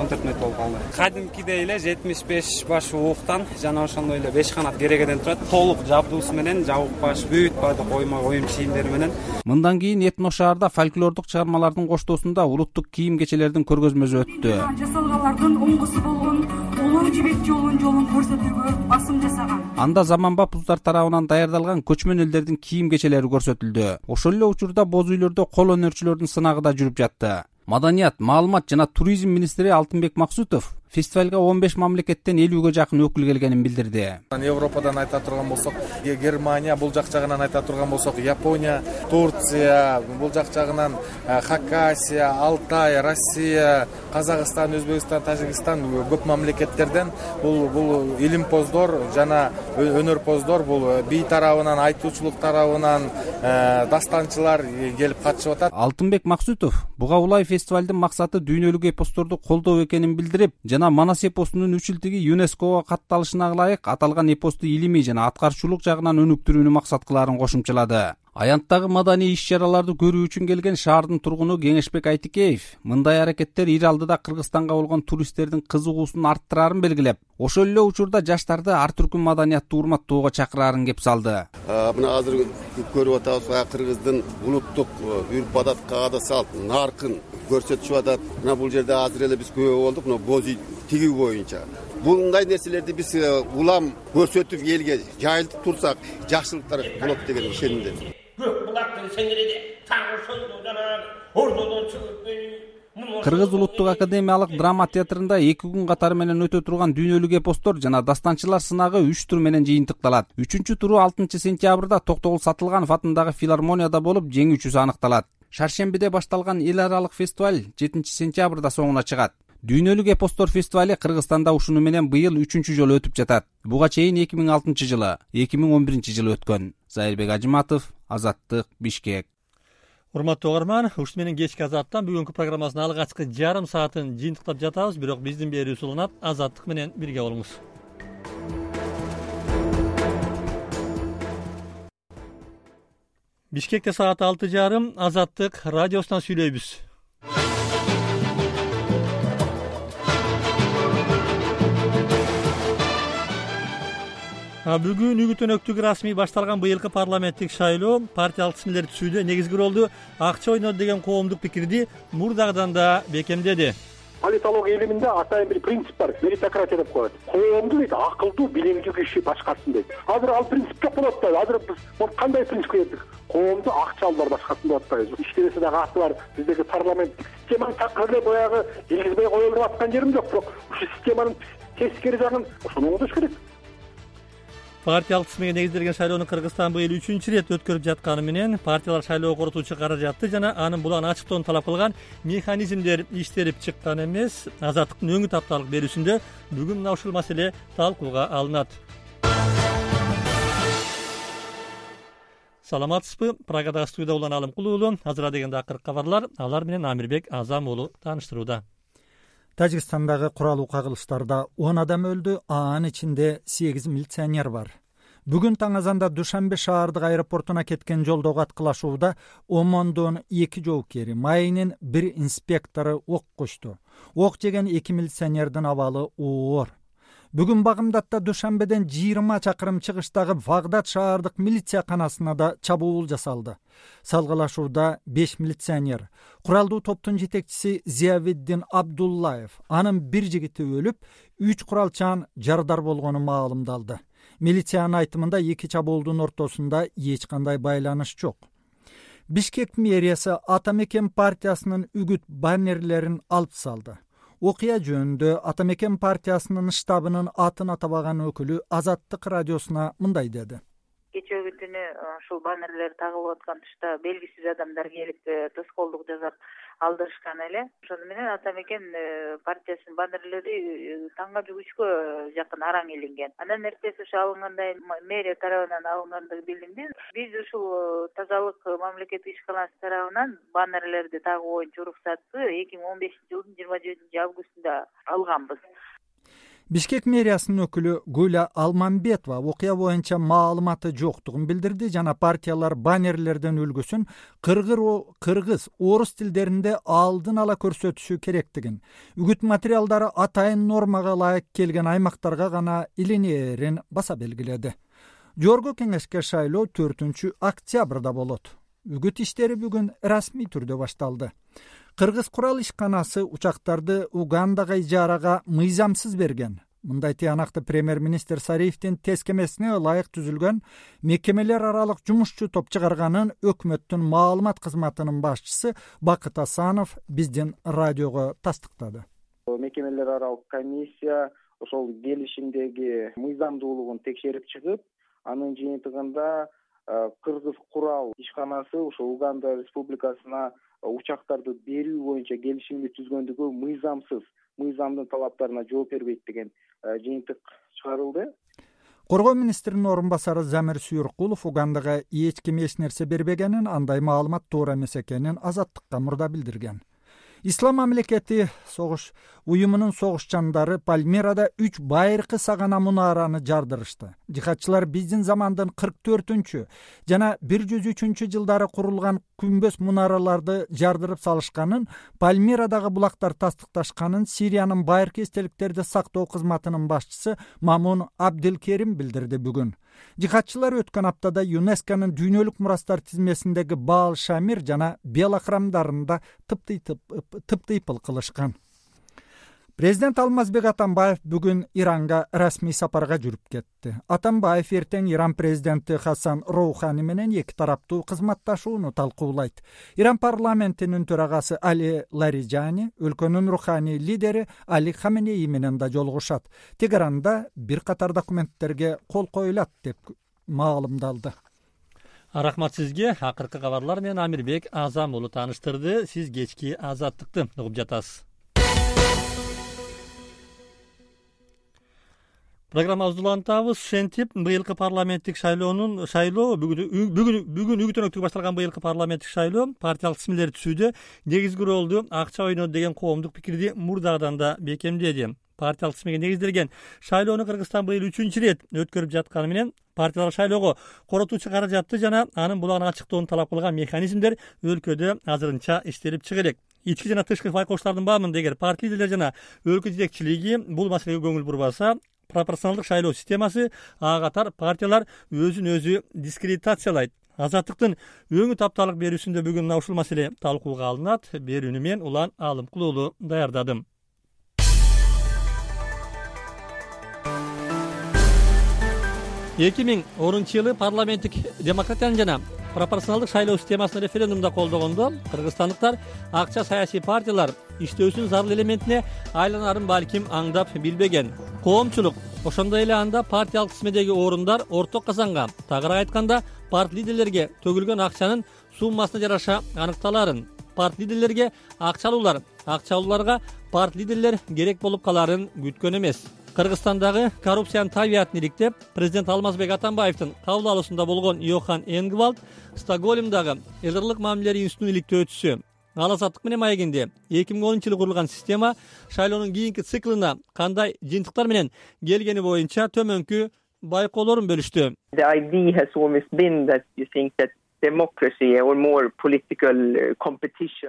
он төрт мүнөт болуп калды. Кадимкидей эле жетимиш беш баш ууктан жана ошондой эле беш канат керегеден турат. Толук жабдуусу менен жабык баш, бүт баардык ойма оюм кийимдери менен. Мындан кийин Этно шаарда фольклордук чыгармалардын коштоосунда улуттук кийим кечелердин көргөзмөсү өттү. Жасалганлардын оңгусу болгон улуу жибек жолун жолун көрсөтүүгө басым жасаган. Анда заманбап уздар тарабынан даярдалган көчмөн элдердин кийим кечелери көрсөтүлдү. Ошол эле учурда боз үйлөрдө кол өнөрчүлөрдүн сынагы да жүрүп жатты. Маданият, маалымат жана туризм министри Алтынбек Максутов фестивалга он беш мамлекеттен элүүгө жакын өкүл келгенин билдирди. Европадан айта турган болсок, Германия, бул жак жагынан айта турган болсок, Япония, Турция, бул жак жагынан Хакасия, Алтай, Россия, Казакстан, Өзбекстан, Тажикстан көп мамлекеттерден бул бул илимпоздор жана өнөрпоздор, бул бий тарабынан, айтуучулук тарабынан дастанчылар келип катышып атат. Алтынбек Максутов буга улай фестивалдын максаты дүйнөлүк эпосторду колдоо экенин билдирип, жана манас эпосунун үч жылдыгы ЮНЕСКОго катталышына ылайык аталган эпосту илимий жана аткарчулук жагынан өнүктүрүүнү максат кылаарын кошумчалады. Аянттагы маданий иш-чараларды көрүү үчүн келген шаардын тургуну Кеңешбек Айтикеев мындай аракеттер ир алдыда Кыргызстанга болгон туристтердин кызыгуусун арттырарын белгилеп, ошол эле учурда жаштарды ар түркүн маданиятты урматтоого чакырарын кеп салды. Мына азыр көрүп атабыз, кыргыздын улуттук үрп-адат, каада салт, наркын көрсөтүшүп атат. Мына бул жерде азыр эле биз күбө болдук, мына боз үй тигүү боюнча. Bunday нерселерди биз улам көрсөтүп элге жайылтып турсак, жакшылыктар болот деген ишенимдемин. Көк булактын сеңириде тагы ошондо жана ордодон чыгып Кыргыз улуттук академиялык драма театрында эки күн катары менен өтө турган дүйнөлүк эпостор жана дастанчылар сынагы үч тур менен жыйынтыкталат. Үчүнчү туру алтынчы сентябрда Токтогул Сатылганов атындагы филармонияда болуп, жеңүүчүсү аныкталат. Шаршембиде башталган эл аралык фестиваль жетинчи сентябрда соңуна чыгат. Дүйнөлүк эпостор фестивали Кыргызстанда ушуну менен быйыл үчүнчү жолу өтүп жатат. Буга чейин эки миң алтынчы жылы, эки миң он биринчи жылы өткөн. Зайырбек Ажыматов, Азаттык, Бишкек. Урматтуу угарман, ушуну менен кечки Азаттан бүгүнкү программасынын алгачкы жарым саатын жыйынтыктап жатабыз, бирок биздин берүүбүз уланат. Азаттык менен бирге болуңуз. Бишкекте саат алты жарым, Азаттык радиосунан сүйлөйбүз. Бүгүн үгүт өнөктүгү расмий башталган быйылкы парламенттик шайлоо партиялык тизмелер түзүүдө негизги ролду акча ойнойт деген коомдук пикирди мурдагыдан да бекемдеди. Политология илиминде атайын бир принцип бар, меритократия деп коет. Коомду дейт акылдуу, билимдүү киши башкарсын дейт. Азыр ал принцип жок болуп атпайбы? Азыр биз кандай принципке келдик? Коомду акчалуулар башкарсын деп атпайбызбы? Иштебесе дагы аты бар. Биздеги парламенттик системаны такыр эле баягы киргизбей коюлуп аткан жерим жок, бирок ушул системанын тескери жагын ошону оңдош керек. Партиялык тизмеге негизделген шайлоону Кыргызстан быйыл үчүнчү ирет өткөрүп жатканы менен партиялар шайлоо коротуучу каражатты жана анын булан ачыктоону талап кылган механизмдер иштелип чыккан эмес. Азаттыктын өңүт апталык берүүсүндө бүгүн мына ушул маселе талкууга алынат. Саламатсызбы? Прагадагы студияда улан Алымкул уулу. Азыр дегенде акыркы кабарлар, алар менен Амирбек Азам уулу тааныштырууда. Тажикстандагы куралуу кагылыштарда он адам өлдү, анын ичинде сегиз милиционер бар. Бүгүн таң азанда Душанбе шаардык аэропортуна кеткен жолдогу аткылашууда Омондун эки жоокери, Майынын бир инспектору ок кучту. Ок жеген эки милиционердин абалы оор. Бүгүн Багымдатта Душанбеден жыйырма чакырым чыгыштагы Вагдат шаардык милицияканасына да чабуул жасалды. Салгылашууда беш милиционер, куралдуу топтун жетекчиси Зиявиддин Абдуллаев, анын бир жигити өлүп, үч куралчан жардар болгону маалымдалды. Милициянын айтымында эки чабуулдун ортосунда эч кандай байланыш жок. Бишкек мэриясы Атамекен партиясынын үгүт баннерлерин алып салды. Окуя жөнүндө Атамекен партиясынын штабынын атын атабаган өкүлү Азаттык радиосуна мындай деди. Кечээ күнү ушул баннерлер тагылып аткан тушта белгисиз адамдар келип тоскоолдук жасап алдырышкан эле. Ошону менен Атамекен партиясынын баннерлери таңга үчкө жакын араң илинген. Андан эртеси ошо алынгандай мэрия тарабынан алынгандыгы билинди. Биз ушул тазалык мамлекеттик ишканасы тарабынан баннерлерди тагуу боюнча уруксатты эки миң он бешинчи жылдын жыйырма жетинчи августунда алганбыз. Бишкек мэриясынын өкүлү Гуля Алмамбетова окуя боюнча маалыматы жоктугун билдирди жана партиялар баннерлердин үлгүсүн кыргыз, орус тилдеринде алдын ала көрсөтүшү керектигин, үгүт материалдары атайын нормага ылайык келген аймактарга гана илинээрин баса белгиледи. Жогорку кеңешке шайлоо төртүнчү октябрда болот. Үгүт иштери бүгүн расмий түрдө башталды. Кыргыз курал ишканасы учактарды Угандага ижарага мыйзамсыз берген. Мындай тыянакты премьер-министр Сариевдин тескемесине ылайык түзүлгөн мекемелер аралык жумушчу топ чыгарганын өкмөттүн маалымат кызматынын башчысы Бакыт Асанов биздин радиого тастыктады. Мекемелер аралык комиссия ошол келишимдеги мыйзамдуулугун текшерип чыгып, анын жыйынтыгында Кыргыз курал ишканасы ошо Уганда республикасына учактарды берүү боюнча келишимди түзгөндүгү мыйзамсыз, мыйзамдын талаптарына жооп бербейт деген жыйынтык чыгарылды. Коргоо министринин орун басары Замир Сүйүркулов Угандага эч ким эч нерсе бербегенин, андай маалымат туура эмес экенин Азаттыкка мурда билдирген. Ислам мамлекети согуш уюмунун согушчандары Пальмирада үч байыркы сагана мунараны жардырышты. Жихадчылар биздин замандын кырк төртүнчү жана бир жүз үчүнчү жылдары курулган күмбөз мунараларды жардырып салышканын, Пальмирадагы булактар тастыкташканын Сириянын байыркы эстеликтерди сактоо кызматынын башчысы Мамун Абдилкерим билдирди бүгүн. Жихадчылар өткөн аптада ЮНЕСКОнун дүйнөлүк мурастар тизмесиндеги Баал Шамир жана Бела храмдарында тыптый-тыпыл кылышкан. Президент Алмазбек Атамбаев бүгүн Иранга расмий сапарга жүрүп кетти. Атамбаев эртең Иран президенти Хасан Роухани менен эки тараптуу кызматташууну талкуулайт. Иран парламентинин төрагасы Али Лариджани өлкөнүн руханий лидери Али Хаменеи менен да жолугушат. Тегеранда бир катар документтерге кол коюлат деп маалымдалды. Рахмат сизге. Акыркы кабарлар менен Амирбек Азам уулу тааныштырды. Сиз кечки Азаттыкты угуп жатасыз. Программабызды улантабыз. Ошентип, быйылкы парламенттик шайлоонун шайлоо бүгүн бүгүн бүгүн үгүтөнөктүгү башталган быйылкы парламенттик шайлоо партиялык тизмелер түзүүдө негизги ролду акча ойнойт деген коомдук пикирди мурдагыдан да бекемдеди. Партиялык тизмеге негизделген шайлоону Кыргызстан быйыл үчүнчү ирет өткөрүп жатканы менен партиялар шайлоого коротуучу каражатты жана анын булагын ачыктоону талап кылган механизмдер өлкөдө азырынча иштелип чыга элек. Ички жана тышкы байкоштардын баамында эгер парти лидерлери жана өлкө жетекчилиги бул маселеге көңүл бурбаса, пропорционалдык шайлоо системасы ага катар партиялар өзүн өзү дискредитациялайт. Азаттыктын өңү тапталык берүүсүндө бүгүн ушул маселе талкууга алынат. Берүүнү мен Улан Алымкул уулу даярдадым. эки миң онунчу жылы парламенттик демократиянын жана пропорционалдык шайлоо системасын референдумда колдогондо кыргызстандыктар акча саясий партиялар иштөөсүнүн зарыл элементине айланарын балким аңдап билбеген. Коомчулук ошондой эле анда партиялык тизмедеги орундар орток казанга, тагыраак айтканда парти лидерлерге төгүлгөн акчанын суммасына жараша аныкталарын, парти лидерлерге акча алуулар, акча алууларга парти лидерлер керек болуп каларын күткөн эмес. Кыргызстандагы коррупциянын табиятын иликтеп, президент Алмазбек Атамбаевдин кабыл алуусунда болгон Йохан Энгвальд Стокгольмдагы элдерлик мамилелер институтунун иликтөөчүсү. Ал Азаттык менен маегинде эки миң онунчу жылы курулган система шайлоонун кийинки циклына кандай жыйынтыктар менен келгени боюнча төмөнкү байкоолорун бөлүштү.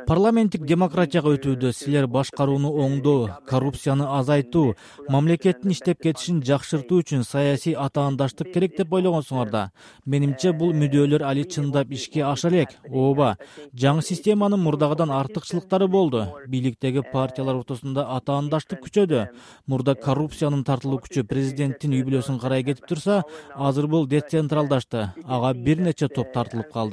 Парламенттик демократияга өтүүдө силер башкарууну оңдоо, коррупцияны азайтуу, мамлекеттин иштеп кетишин жакшыртуу үчүн саясий атаандаштык керек деп ойлогонсуңар да. Менимче бул мүддөөлөр али чындап ишке аша элек. Ооба, жаңы системанын мурдагыдан артыкчылыктары болду. Бийликтеги партиялар ортосунда атаандаштык күчөдү. Мурда коррупциянын тартылуу күчү президенттин үй бүлөсүн карай кетип турса, азыр бул децентралдашты. Ага бир нече топ тартылып калды.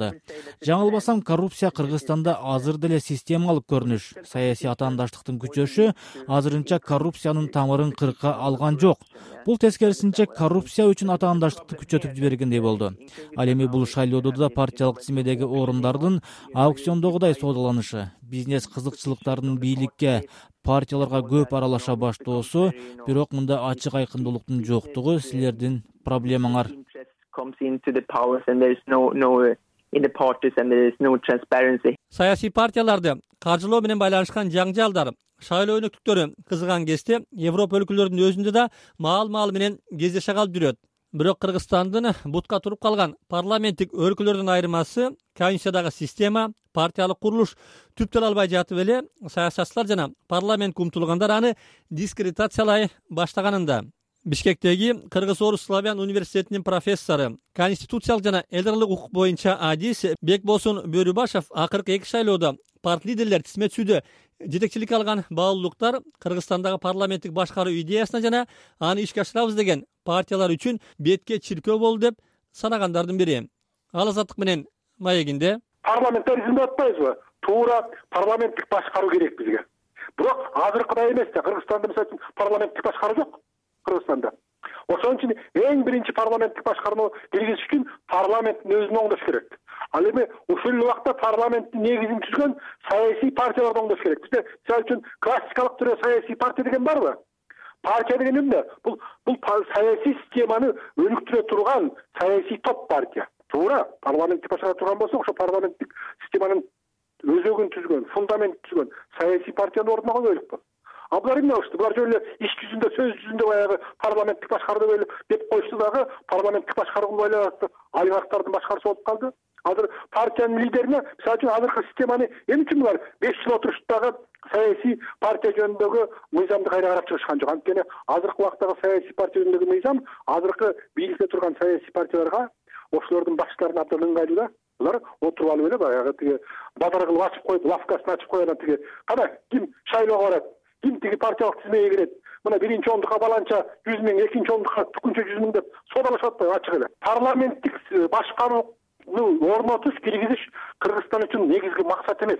Жаңылбасам, коррупция Кыргызстанда азыр деле системалык көрүнүш. Саясий атаандаштыктын күчөшү азырынча коррупциянын тамырын кырка алган жок. Бул тескерисинче коррупция үчүн атаандаштыкты күчөтүп жибергендей болду. Ал эми бул шайлоодо да партиялык тизмедеги орундардын аукциондогудай соодаланышы, бизнес кызыкчылыктарынын бийликке, партияларга көп аралаша баштоосу, бирок мында ачык айкындуулуктун жоктугу силердин проблемаңар. Саясий партияларды каржылоо менен байланышкан жаңжалдар, шайлоо өнөктүктөрү кызыган кезде Европа өлкөлөрүнүн өзүндө да маал-маал менен кездеше калып жүрөт. Бирок Кыргызстандын бутка туруп калган парламенттик өлкөлөрдөн айырмасы конституциядагы система, партиялык курулуш түптөн албай жатып эле саясатчылар жана парламентке умтулгандар аны дискредитациялай баштаганында. Бишкектеги Кыргыз-Орус Славян университетинин профессору, конституциялык жана элдерлик укук боюнча адис Бекбосун Бөрүбашев акыркы эки шайлоодо парти лидерлер тизме түзүүдө жетекчилик алган баалуулуктар Кыргызстандагы парламенттик башкаруу идеясына жана аны ишке ашырабыз деген партиялар үчүн бетке чиркөө болду деп санагандардын бири. Ал Азаттык менен маегинде парламентаризм деп атпайбызбы? Туура парламенттик башкаруу керек бизге. Бирок азыркыдай эмес да. Кыргызстанда мисалы парламенттик башкаруу жок. Кыргызстанда. Ошон үчүн эң биринчи парламенттик башкарууну киргизиш үчүн парламенттин өзүн оңдош керек. Ал эми ушул убакта парламенттин негизин түзгөн саясий партияларды оңдош керек. Бизде мисалы үчүн классикалык түрдө саясий партия деген барбы? Партия деген эмне? Бул бул саясий системаны өнүктүрө турган саясий топ партия. Туура парламентти башкара турган болсо, ошо парламенттик системанын өзөгүн түзгөн, фундамент түзгөн саясий партияны ордуна коелук. А булар эмне кылышты? Булар жөн эле иш жүзүндө, сөз жүзүндө баягы парламенттик башкаруу деп коюшту дагы парламенттик башкаруу байланышты олигархтардын башкаруусы болуп калды. Азыр партиянын лидерине, мисалы үчүн азыркы системаны эмне үчүн булар беш жыл отурушту дагы саясий партия жөнүндөгү мыйзамды кайра карап чыгышкан жок. Анткени азыркы убактагы саясий партия жөнүндөгү мыйзам азыркы бийликте турган саясий партияларга ошолордун башчыларына абдан ыңгайлуу да. Булар отуруп алып эле баягы тиги базар кылып ачып коюп, лавкасын ачып коюп, тиги кана ким шайлоого барат, ким тиги партиялык тизмеге кирет, мына биринчи ондукка баланча жүз миң, экинчи ондукка тükүнчө жүз миң деп соодалашып атпайбы ачык эле. Парламенттик башкарууну орнотуш, киргизиш Кыргызстан үчүн негизги максат эмес.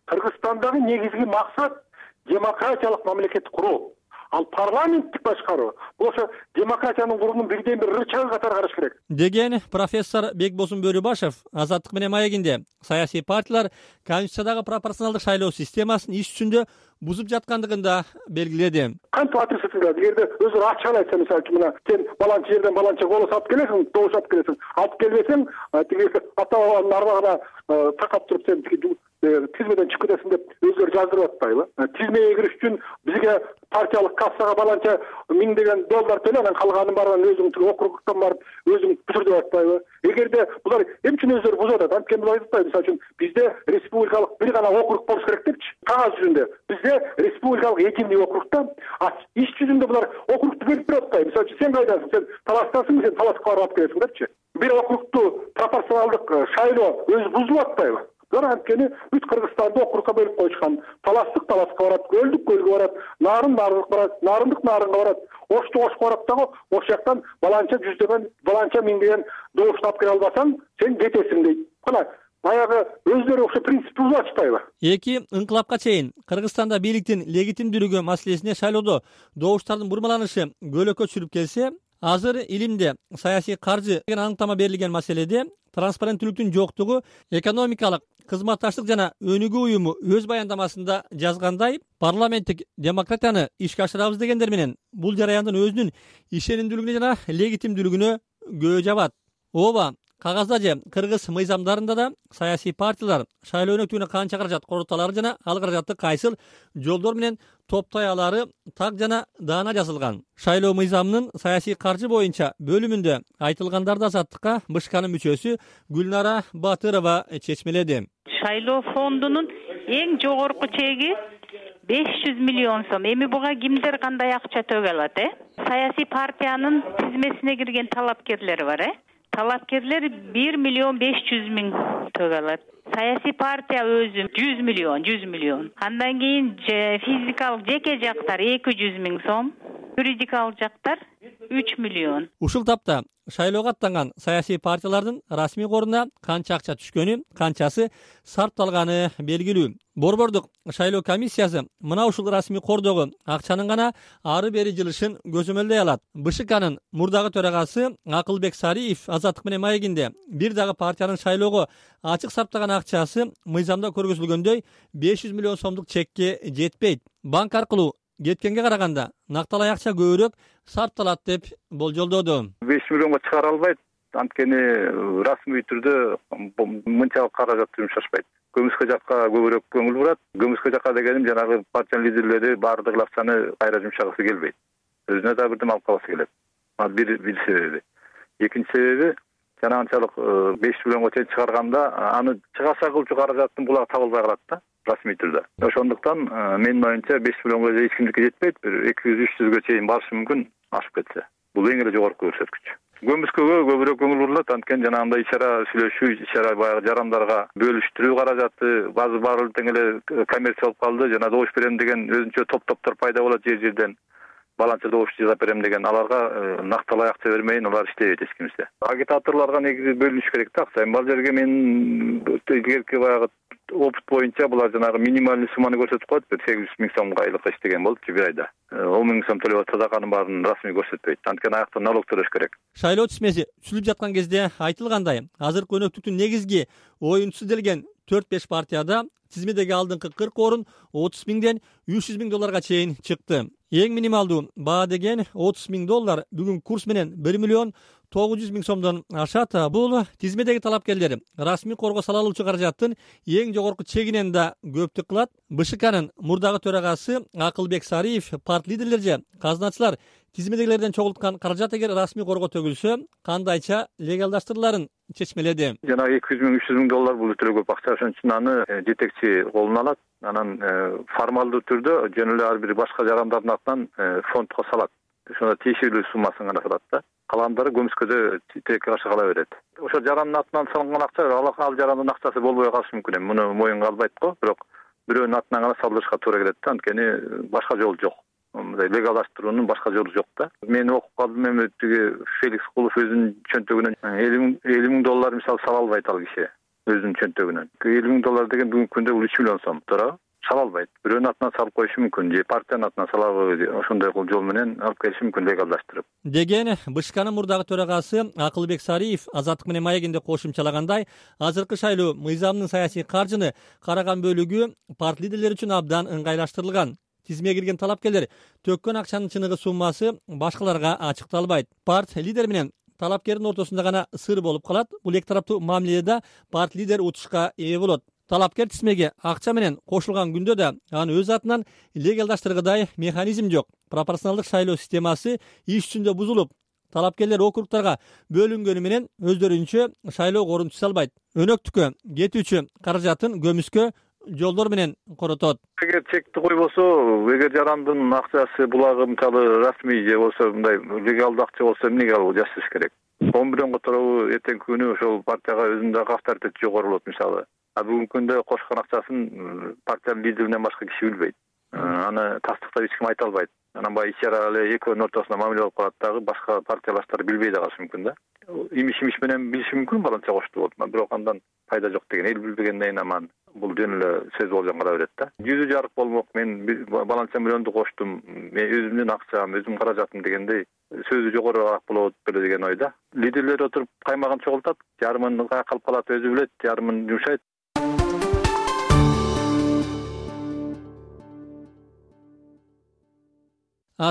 Кыргызстандагы негизги максат демократиялык мамлекет куруу. Ал парламенттик башкаруу бул ошо демократиянын курумунун бирден бир рычагы катары караш керек деген профессор Бекбосун Бөрүбашев Азаттык менен маегинде саясий партиялар Конституциядагы пропорционалдык шайлоо системасын иш жүзүндө бузуп жаткандыгын да белгиледи. Кантип ответственность, эгерде өзү ачык эле айтса, мисалы үчүн мына сен баланча жерден баланча голос алып келесиң, добуш алып келесиң, алып келбесең, тиги ата бабанын арбагына такап туруп сен тиги тизмеден чыгып кетесиң деп өздөрү жаздырып атпайбы? Тизмеге кириш үчүн бизге партиялык кассага баланча миңдеген доллар төлө, анан калганын баарын өзүң тиги округтан барып өзүң бүтүр деп атпайбы? Эгерде булар эмне үчүн өздөрү бузуп атат? Анткени булар айтпайбы, мисалы үчүн бизде республикалык бир гана округ болуш керек депчи. Кагаз жүзүндө бизде республикалык экимдик округда, а иш жүзүндө булар округду бөлүп берип атпайбы? Мисалы үчүн сен кайдасың? Сен Таластасың, сен Таласка барып алып келесиң депчи. Бир округду пропорционалдык шайлоо өзү бузулуп атпайбы? Булар анткени бүт Кыргызстанды округка бөлүп коюшкан. Таластык Таласка барат, Көлдүк Көлгө барат, Нарын Нарынга барат, Нарындык Нарынга барат, Ошто Ошко барат дагы ош жактан баланча жүздөгөн, баланча миңдеген добушту алып келе албасаң, сен кетесиң дейт. Кана баягы өздөрү ошо принцип бузуп атышпайбы? Эки ыңкылапка чейин Кыргызстанда бийликтин легитимдүүлүгү маселесине шайлоодо добуштардын бурмаланышы көйлөккө түшүрүп келсе, азыр илимде саясий каржы деген аныктама берилген маселеде транспаrenттүүлүктүн жоктугу экономикалык кызматташтык жана өнүгүү уюму өз баяндамасында жазгандай, парламенттик демократияны ишке ашырабыз дегендер менен бул жараяндын өзүнүн ишенимдүүлүгүнө жана легитимдүүлүгүнө көө жабат. Ооба, кагазда же кыргыз мыйзамдарында да саясий партиялар шайлоо өнөктүгүнө канча каражат короталары жана ал каражатты кайсыл жолдор менен топтой алары так жана даана жазылган. Шайлоо мыйзамынын саясий каржы боюнча бөлүмүндө айтылгандарды Азаттыкка БШКнын мүчөсү Гүлнара Батырова чечмеледи. Шайлоо фондунун эң жогорку чеги беш жүз миллион сом. Эми буга кимдер кандай акча төгө алат, э? Саясий партиянын тизмесине кирген талапкерлер бар, э? Талапкерлер бир миллион беш жүз миң төгө алат. Саясий партия өзү жүз миллион, жүз миллион. Андан кийин физикалык жеке жактар эки жүз миң сом, юридикалык жактар үч миллион. Ушул тапта шайлоого аттанган саясий партиялардын расмий коруна канча акча түшкөнү, канчасы сарпталганы белгилүү. Борбордук шайлоо комиссиясы мына ушул расмий кордогу акчанын гана ары бери жылышын көзөмөлдөй алат. БШКнын мурдагы төрагасы Акылбек Сариев Азаттык менен маегинде бир дагы партиянын шайлоого ачык сарптаган акчасы мыйзамда көргөзүлгөндөй беш жүз миллион сомдук чекке жетпейт. Банк аркылуу кеткенге караганда накталай акча көбүрөөк сарпталат деп болжолдоду. беш миллионго чыгара албайт, анткени расмий түрдө мынчалык каражат жумшашпайт. Көмүскө жакка көбүрөөк көңүл бурат. Көмүскө жакка дегеним жанагы партиянын лидерлери баардык акчаны кайра жумшагысы келбейт. Өзүнө да бирдем алып каласы келет. Бир бир себеби. Экинчи себеби жанагынчалык беш миллионго чейин чыгарганда аны чыгаша кылчу каражаттын булагы табылбай калат да расмий түрдө. Ошондуктан менин оюмча беш миллионго эч кимдики жетпейт, бир эки жүз үч жүзгө чейин барышы мүмкүн ашып кетсе. Бул эң эле жогорку көрсөткүч. Көмүскөгө көбүрөөк көңүл бурулат, анткени жанагындай ичара сүйлөшүү, ичара баягы жарандарга бөлүштүрүү каражаты баары баары тең эле коммерция болуп калды. Жана добуш берем деген өзүнчө топ-топтор пайда болот жер жерден. Баланча добуш жасап берем деген аларга накталай акча бермейин, алар иштебейт эч кимсе. Агитаторлорго негизи бөлүнүш керек да акча. Бул жерге мен илгерки баягы опыт боюнча булар жанагы минималдуу сумманы көрсөтүп коет, бир сегиз жүз миң сомго айлык иштеген болчу бир айда. он миң сом төлөп атса да анын баарын расмий көрсөтпөйт. Анткени аякта налог төлөш керек. Шайлоо тизмеси түзүлүп жаткан кезде айтылгандай, азыркы өнөктүктүн негизги оюнчусу делген төрт беш партияда тизмедеги алдыңкы кырк орун отуз миңден үч жүз миң долларга чейин чыкты. Эң минималдуу баа деген отуз миң доллар бүгүн курс менен бир миллион тогуз жүз миң сомдон ашат. Бул тизмедеги талапкерлер расмий корго сала алуучу каражаттын эң жогорку чегинен да көптүк кылат. БШКнын мурдагы төрагасы Акылбек Сариев парт лидерлер же казначылар тизмедегилерден чогулткан каражат эгер расмий корго төгүлсө кандайча легалдаштырыларын чечмеледи. Жана эки жүз миң үч жүз миң доллар бул өтө көп акча, ошон үчүн аны жетекчи колуна алат. Анан формалдуу түрдө жөн эле ар бир башка жарандардын атынан фондко салат. Ошондо тиешелүү суммасын гана салат да. Калгандары көмүскөдө тилекке каршы кала берет. Ошо жарандын атынан салынган акча ал жарандын акчасы болбой калышы мүмкүн. Муну моюнга албайт го, бирок бирөөнүн атынан гана салдырышка туура келет да, анткени башка жол жок. Мындай легалдаштыруунун башка жолу жок да. Мен окуп калдым, эми тиги Феликс Кулов өзүнүн чөнтөгүнөн элүү миң доллар мисалы сала албайт ал киши өзүнүн чөнтөгүнөн. элүү миң доллар деген бүгүнкү күндө бул үч миллион сом, туурабы? Сала албайт. Бирөөнүн атынан салып коюшу мүмкүн, же партиянын атынан салабы, ошондой жол менен алып келиши мүмкүн легалдаштырып. Деген БШКнын мурдагы төрагасы Акылбек Сариев Азаттык менен маегинде кошумчалагандай, азыркы шайлоо мыйзамдын саясий каржыны караган бөлүгү парт лидерлери үчүн абдан ыңгайлаштырылган. Тизмеге кирген талапкерлер төккөн акчанын чыныгы суммасы башкаларга ачыкталбайт. Парт лидер менен талапкердин ортосунда гана сыр болуп калат. Бул эки тараптуу мамиледе парт лидер утушка ээ болот. Талапкер тизмеге акча менен кошулган күндө да аны өз атынан легалдаштыргыдай механизм жок. Пропорционалдык шайлоо системасы иш жүзүндө бузулуп, талапкерлер округтарга бөлүнгөнү менен өздөрүнчө шайлоого орун түзө албайт. Өнөктүккө кетүүчү каражатын көмүскө жолдор менен коротот. Эгер чекти койбосо, эгер жарандын акчасы булагы мисалы расмий же болсо мындай легалдуу акча болсо эмнеге алып жашаш керек? он бирден которобу эртеңки күнү ошол партияга өзүнүн дагы авторитети жогору болот мисалы. А бүгүнкү күндө кошкон акчасын партиянын лидеринен башка киши билбейт. Аны тастыктап эч ким айта албайт. Анан баягы ичара эле экөөнүн ортосунда мамиле болуп калат дагы, башка партиялаштар билбей да калышы мүмкүн да. Имиш-имиш менен билиши мүмкүн баланча кошту болот, бирок андан пайда жок деген. Эл билбегенден кийин аман бул жөн эле сөз болжон кала берет да. Жүзү жарык болмок, мен баланча миллионду коштум, мен өзүмдүн акчам, өзүмдүн каражатым дегендей сөзү жогорураак болот беле деген ойда. Лидерлер отуруп каймагын чогултат, жарымын калып калат, өзү билет, жарымын жумшайт.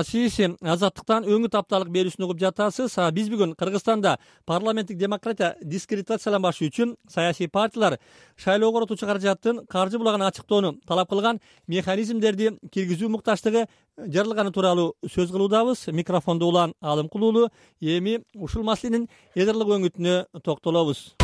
Сиз Азаттыктан өңүт апталык берүүсүн угуп жатасыз. Биз бүгүн Кыргызстанда парламенттик демократия дискредитацияланбашы үчүн саясий партиялар шайлоого коротуучу каражаттын каржы булагын ачыктоону талап кылган механизмдерди киргизүү мукташтыгы жарылганы тууралуу сөз кылуудабыз. Микрофондо Улан Алымкулуулу. Эми ушул маселенин эдерлик өңүтүнө токтолобуз.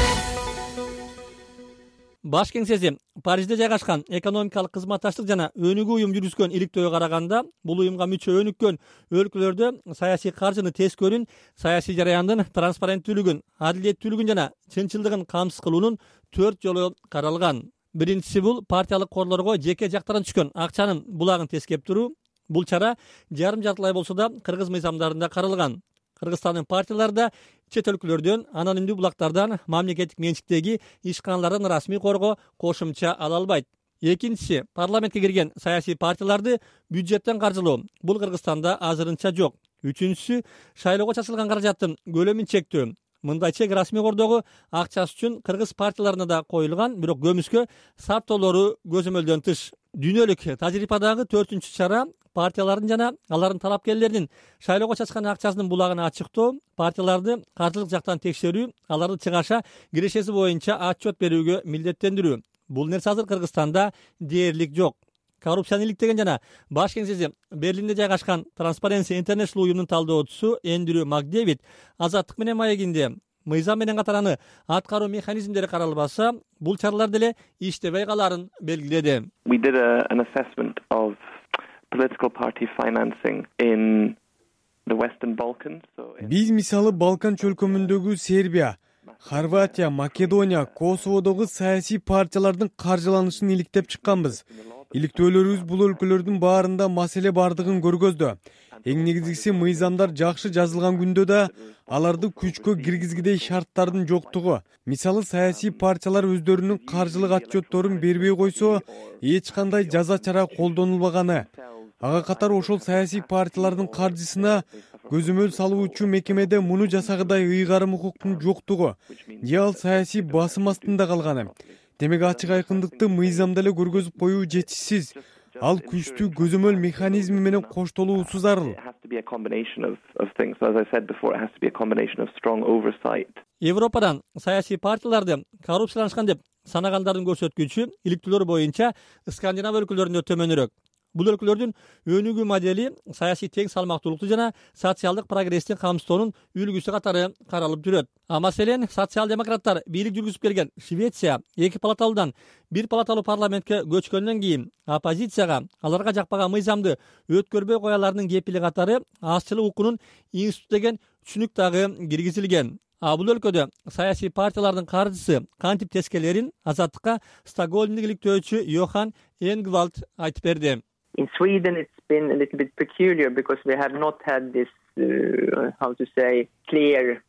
Баш кеңсеси Парижде жайгашкан экономикалык кызматташтык жана өнүгүү уюм жүргүзгөн иликтөөгө караганда, бул уюмга мүчө өнүккөн өлкөлөрдө саясий каржыны тез көрүүн, саясий жараяндын транспаренттүүлүгүн, адилеттүүлүгүн жана чынчылдыгын камсыз кылуунун төрт жолу каралган. Биринчиси бул партиялык корлорго жеке жактардан түшкөн акчанын булагын тескеп туруу. Бул чара жарым жартылай болсо да кыргыз мыйзамдарында каралган. Кыргызстандын партияларда чет өлкөлөрдөн, анонимдүү булактардан, мамлекеттик менчиктеги ишканалардан расмий корго кошумча ала албайт. Экинчиси, парламентке кирген саясий партияларды бюджеттен каржылоо. Бул Кыргызстанда азырынча жок. Үчүнчүсү, шайлоого чачылган каражаттын көлөмүн чектөө. Мындай чек расмий кордогу акчасы үчүн кыргыз партияларына да коюлган, бирок көмүскө сарптоолору көзөмөлдөн тыш. Дүйнөлүк тажрыйбадагы төртүнчү чара партиялардын жана алардын талапкерлеринин шайлоого чачкан акчасынын булагын ачыктоо, партияларды каржылык жактан текшерүү, аларды чыгаша кирешеси боюнча отчет берүүгө милдеттендирүү. Бул нерсе азыр Кыргызстанда дээрлик жок. Коррупцияны иликтеген жана баш кеңсеси Берлинде жайгашкан Transparency International уюмунун талдоочусу Эндрю Макдэвид Азаттык менен маегинде мыйзам менен катар аны аткаруу механизмдери каралбаса, бул чаралар деле иштебей каларын белгиледи. We did a, an assessment of political party financing in the Western Balkans. Биз мисалы Балкан чөлкөмүндөгү Сербия, Хорватия, Македония, Косоводогу саясий партиялардын каржыланышын иликтеп чыкканбыз. Иликтөөлөрүбүз бул өлкөлөрдүн баарында маселе бардыгын көргөздү. Эң негизгиси мыйзамдар жакшы жазылган күндө да аларды күчкө киргизгидей шарттардын жоктугу. Мисалы саясий партиялар өздөрүнүн каржылык отчетторун бербей койсо, эч кандай жаза чара колдонулбаганы. Ага катар ошол саясий партиялардын каржысына көзөмөл салуучу мекемеде муну жасагыдай ыйгарым укуктун жоктугу, же ал саясий басым астында калганы. Демек ачык айкындыкты мыйзамда эле көргөзүп коюу жетишсиз. Ал күчтүү көзөмөл механизми менен коштолуусу зарыл. Европадан саясий партияларды коррупцияланышкан деп санагандардын көрсөткүчү иликтөөлөр боюнча Скандинав өлкөлөрүндө төмөнүрөөк. Бул өлкөлөрдүн өнүгүү модели саясий тең салмактуулукту жана социалдык прогресстин камсыздоонун үлгүсү катары каралып жүрөт. А маселен, социал-демократтар бийлик жүргүзүп келген Швеция эки палаталуудан бир палаталуу парламентке көчкөндөн кийин оппозицияга аларга жакпаган мыйзамды өткөрбөй кояларынын кепили катары азчылык укугунун институту деген түшүнүк дагы киргизилген. А бул өлкөдө саясий партиялардын каржысы кантип тескелерин Азаттыкка Стокгольмдун иликтөөчү Йохан Энгвальд айтып берди. In Sweden it's been a little bit peculiar because we have not had this uh, how to say clear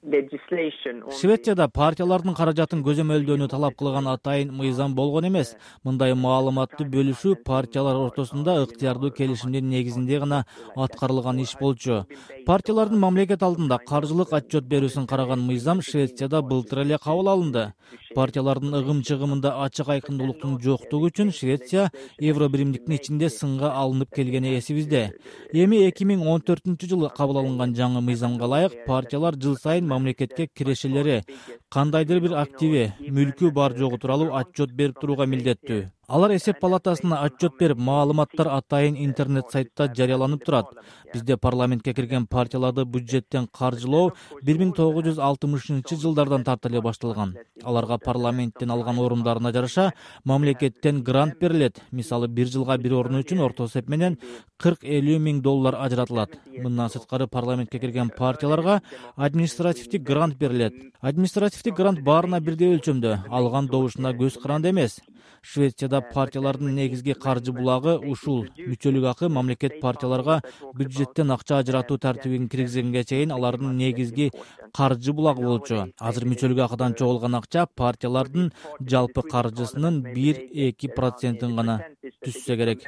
Швецияда партиялардын каражатын көзөмөлдөөнү талап кылган атайын мыйзам болгон эмес. Мындай маалыматты бөлүшүү партиялар ортосунда ыктыярдуу келишимдин негизинде гана аткарылган иш болчу. Партиялардын мамлекет алдында каржылык отчет берүүсүн караган мыйзам Швецияда былтыр эле кабыл алынды. Партиялардын ыгым-чыгымында ачык айкындуулуктун жоктугу үчүн Швеция евро биримдиктин ичинде сынга алынып келгени эсибизде. Эми эки миң он төртүнчү жылы кабыл алынган жаңы мыйзамга ылайык партиялар жыл сайын мамлекетке кирешелери, кандайдыр бир активи, мүлкү бар жогу тууралуу отчет берип турууга милдеттүү. Алар эсеп палатасына отчет берип, маалыматтар атайын интернет сайтта жарыяланып турат. Бизде парламентке кирген партияларды бюджеттен каржылоо бир миң тогуз жүз алтымышынчы жылдардан тарта эле башталган. Аларга парламенттен алган орундарына жараша мамлекеттен грант берилет. Мисалы, бир жылга бир орун үчүн орто эсеп менен кырк элүү миң доллар ажыратылат. Мындан сырткары парламентке кирген партияларга административдик грант берилет. Административдик грант баарына бирдей өлчөмдө, алган добушуна көз каранды эмес. Швецияда партиялардын негизги каржы булагы ушул. Мүчөлүк акы мамлекет партияларга бюджеттен акча ажыратуу тартибин киргизгенге чейин алардын негизги каржы булагы болчу. Азыр мүчөлүк акыдан чогулган акча партиялардын жалпы каржысынын бир-эки процентин гана түшсө керек.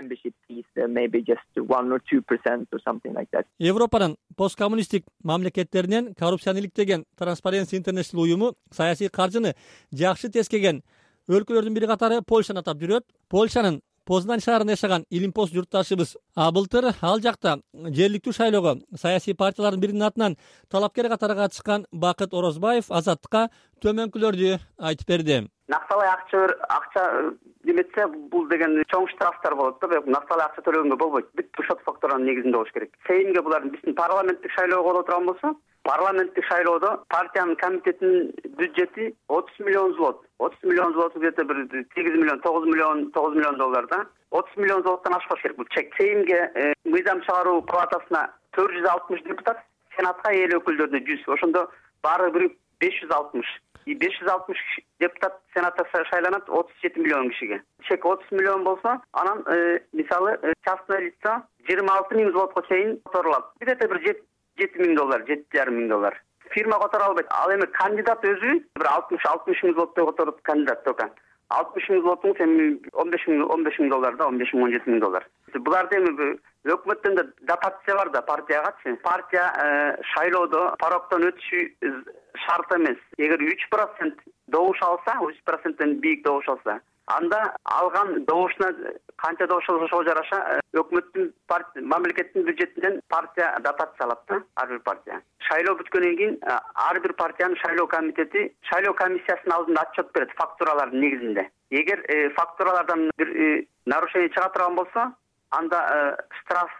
Европанын посткоммунисттик мамлекеттеринен коррупцияны иликтеген Transparency International уюму саясий каржыны жакшы тескеген өлкөлөрдүн бири катары Польшаны атап жүрөт. Польшанын Познань шаарында жашаган илимпоз журтташыбыз былтыр ал жакта жергиликтүү шайлоого саясий партиялардын биринин атынан талапкер катары катышкан Бакыт Орозбаев Азаттыкка төмөнкүлөрдү айтып берди. Накталай акча акча деметсе бул деген чоң штрафтар болот да, бирок накталай акча төлөгөнгө болбойт. Бүт шот факторанын негизинде болуш керек. Сейимге булардын биздин парламенттик шайлоого боло турган болсо, парламенттик шайлоодо партиянын комитетинин бюджети отуз миллион злот. отуз миллион злот где-то бир сегиз миллион, тогуз миллион, тогуз миллион доллар да. отуз миллион злоттон ашпаш керек бул чек. Сейимге мыйзам чыгаруу палатасына төрт жүз алтымыш депутат, сенатка эл өкүлдөрүнө жүз. Ошондо баары бир беш жүз алтымыш. И беш жүз алтымыш депутат сенатта шайланат отуз жети миллион кишиге. Чек отуз миллион болсо, анан мисалы частное лицо жыйырма алты миң злотко чейин которулат. Где-то бир жети миң доллар, жети жарым миң доллар. Фирма которо албайт. Ал эми кандидат өзү бир алтымыш алтымыш миң злоттой которот кандидат только. алтымыш миң злотун эми он беш миң он беш миң доллар да, он беш миң он жети миң доллар. Буларда эми өкмөттөн да дотация бар да партиягачы. Партия шайлоодо пароктон өтүшү шарт эмес. Эгер үч процент добуш алса, үч проценттен бийик добуш алса, анда алган добушуна канча добуш алышына жараша өкмөттүн мамлекеттин бюджетинен партия дотация алат да, ар бир партия. Шайлоо бүткөндөн кийин ар бир партиянын шайлоо комитети шайлоо комиссиясынын алдында отчет берет фактуралардын негизинде. Эгер фактуралардан бир нарушение чыга турган болсо, анда штраф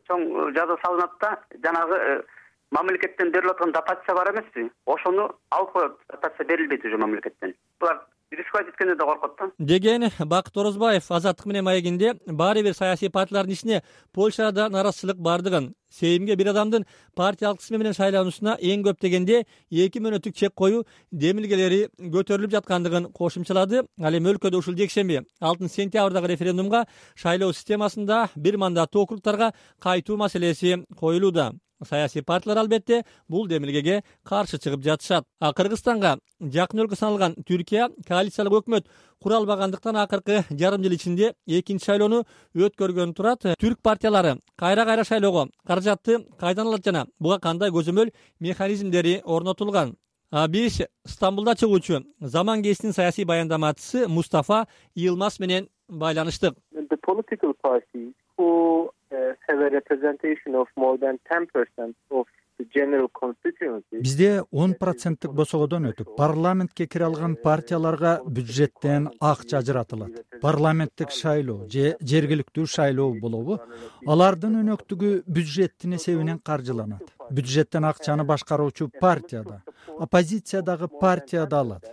чоң жаза салынат да, жанагы мамлекеттен берилип аткан дотация бар эмеспи? Ошону алып коет. Дотация берилбейт уже мамлекеттен. Булар рисковать эткенде да коркот да. Деген Бакыт Орозбаев Азаттык менен маегинде баары бир саясий партиялардын ичине Польшада наразычылык бардыгын, сейимге бир адамдын партиялык тизме менен шайлануусуна эң көп дегенде эки мүнөттүк чек коюу демилгелери көтөрүлүп жаткандыгын кошумчалады. Ал эми өлкөдө ушул жекшемби алтынчы сентябрдагы референдумга шайлоо системасында бир мандаттуу округдарга кайтуу маселеси коюлууда. Саясий партиялар албетте бул демилгеге каршы чыгып жатышат. А Кыргызстанга жакын өлкө саналган Түркия коалициялык өкмөт кура албагандыктан акыркы жарым жыл ичинде экинчи шайлоону өткөргөн турат. Түрк партиялары кайра-кайра шайлоого каражатты кайдан алат жана буга кандай көзөмөл механизмдери орнотулган? Биз Стамбулда чыгуучу Заман Кезиттин саясий баяндамачысы Мустафа Йылмаз менен байланыштык. The political parties who uh, have a representation of more than ten percent of the general constituency. Бизде он проценттик босогодон өтүп, парламентке кире алган партияларга бюджеттен акча ажыратылат. Парламенттик шайлоо же жергиликтүү шайлоо болобу, алардын өнөктүгү бюджеттин эсебинен каржыланат. Бюджеттен акчаны башкаруучу партияда, оппозициядагы партияда алат.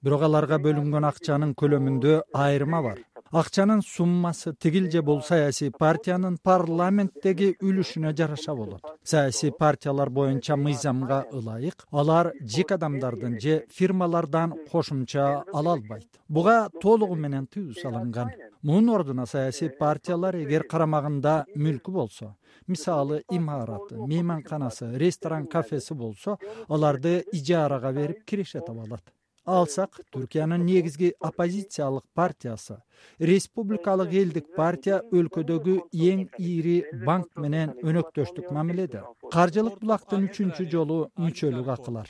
Бирок аларга бөлүнгөн акчанын көлөмүндө айырма бар. акчанын суммасы тигил же бул саясий партиянын парламенттеги үлүшүнө жараша болот. Саясий партиялар боюнча мыйзамга ылайык алар жеке адамдардын же фирмалардан кошумча ала албайт. Буга толугу менен тыюу салынган. Мунун ордуна саясий партиялар эгер карамагында мүлкү болсо, мисалы имараты, мейманканасы, ресторан, кафеси болсо, аларды ижарага берип киреше таба алат. Алсак, Түркиянын негизги оппозициялык партиясы, Республикалык элдик партия өлкөдөгү эң ири банк менен өнөктөштүк мамиледе. Каржылык булактын үчүнчү жолу мүчөлүк акылар.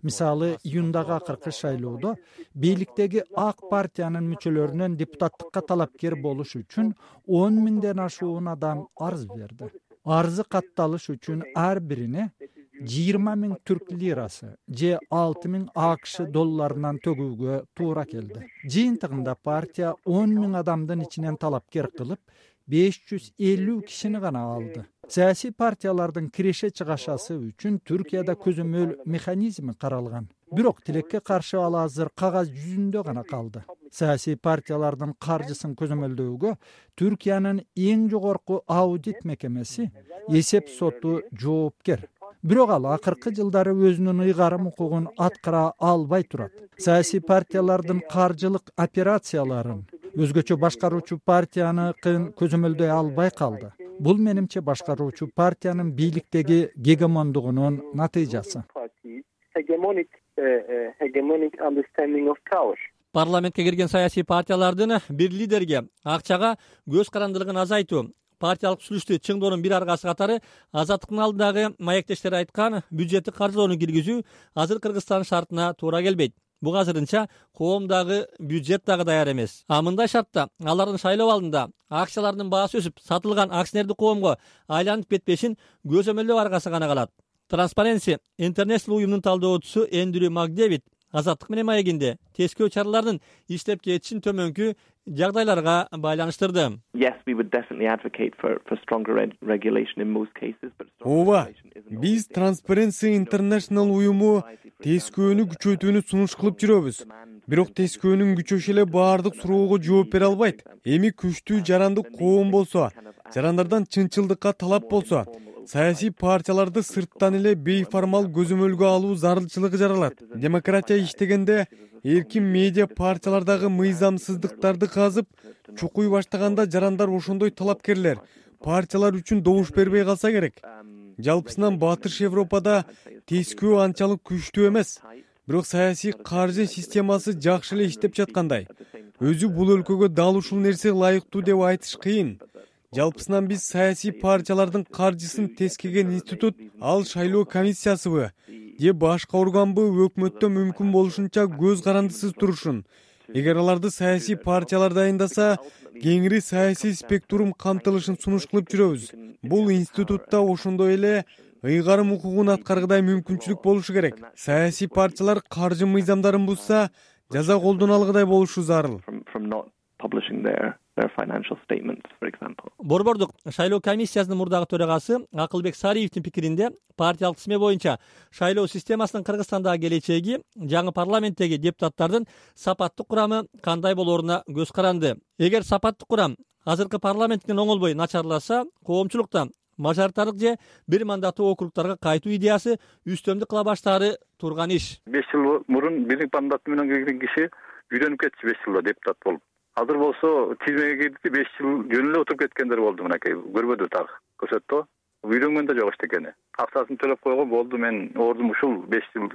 Мисалы, июндагы акыркы шайлоодо бийликтеги ак партиянын мүчөлөрүнөн депутаттыкка талапкер болуш үчүн он миңден ашуун адам арыз берди. Арызы катталыш үчүн ар бирине жыйырма миң түрк лирасы же алты миң АКШ долларынан төгүүгө туура келди. Жыйынтыгында партия он миң адамдын ичинен талапкер кылып, беш жүз элүү кишини гана алды. Саясий партиялардын киреше чыгашасы үчүн Түркияда көзөмөл механизми каралган. Бирок тилекке каршы ал азыр кагаз жүзүндө гана калды. Саясий партиялардын каржысын көзөмөлдөөгө Түркиянын эң жогорку аудит мекемеси, эсеп соту жоопкер. Бирок ал акыркы жылдары өзүнүн ыйгарым укугун аткара албай турат. Саясий партиялардын каржылык операцияларын өзгөчө башкаруучу партияны көзөмөлдөй албай калды. Бул менимче башкаруучу партиянын бийликтеги гегемондугунун натыйжасы. Парламентке кирген саясий партиялардын бир лидерге акчага көз карандылыгын азайтуу, партиялык сүйлүштү чыңдоонун бир аргасы катары Азаттыктын алдындагы маектештер айткан бюджеттик каржылоону киргизүү азыр Кыргызстан шартына туура келбейт. Буга азырынча коомдагы бюджет дагы даяр эмес. А мындай шартта алардын шайлоо алдында акциялардын баасы өсүп, сатылган акционердик коомго айланып кетпешин көзөмөлдөө аргасы гана калат. Transparency International уюмунун талдоочусу Эндрю Макдэвид Азаттык менен маегинде тескөө чаралардын иштеп кетишин төмөнкү жагдайларга байланыштырды. Yes, we would definitely advocate for for stronger regulation in most cases, but Ооба, биз Transparency International уюму тескөөнү күчөтүүнү сунуш кылып жүрөбүз. Бирок тескөөнүн күчөшү эле баардык суроого жооп бере албайт. Эми күчтүү жарандык коом болсо, жарандардан чынчылдыкка талап болсо, саясий партияларды сырттан эле бейформал көзөмөлгө алуу зарылчылыгы жаралат. Демократия иштегенде эркин медиа партиялардагы мыйзамсыздыктарды казып, чукуй баштаганда жарандар ошондой талапкерлер партиялар үчүн добуш бербей калса керек. Жалпысынан Батыш Европада тескөө анчалык күчтүү эмес. Бирок саясий каржы системасы жакшы эле иштеп жаткандай. Өзү бул өлкөгө дал ушул нерсе ылайыктуу деп айтыш кыйын. Жалпысынан биз саясий партиялардын каржысын тескеген институт, ал шайлоо комиссиясыбы же башка органбы өкмөттө мүмкүн болушунча көз карандысыз турушун. Эгер аларды саясий партиялар дайындаса, кеңири саясий спектрум камтылышын сунуш кылып жүрөбүз. Бул институтта ошондой эле ыйгарым укугун аткаргыдай мүмкүнчүлүк болушу керек. Саясий партиялар каржы мыйзамдарын бузса, жаза колдоно алгыдай болушу зарыл. Борбордук шайлоо комиссиясынын мурдагы төрагасы Акылбек Сариевдин пикиринде партиялык тизме боюнча шайлоо системасынын Кыргызстандагы келечеги жаңы парламенттеги депутаттардын сапаттык курамы кандай болооруна көз каранды. Эгер сапаттык курам азыркы парламенттен оңолбой начарласа, коомчулукта мажоритардык же бир мандаттуу округдарга кайтуу идеясы үстөмдүк кыла баштаары турган иш. беш жыл мурун бир мандат менен келген киши үйрөнүп кетчү беш жылда депутат болуп. Азыр болсо тизмеге кирди, беш жыл жөн эле отуруп кеткендер болду. Мынакей көрбөдү так көрсөттү. Үйрөнгөн да жок эчтекени. Акчасын төлөп койгон болду, мен ордум ушул беш жыл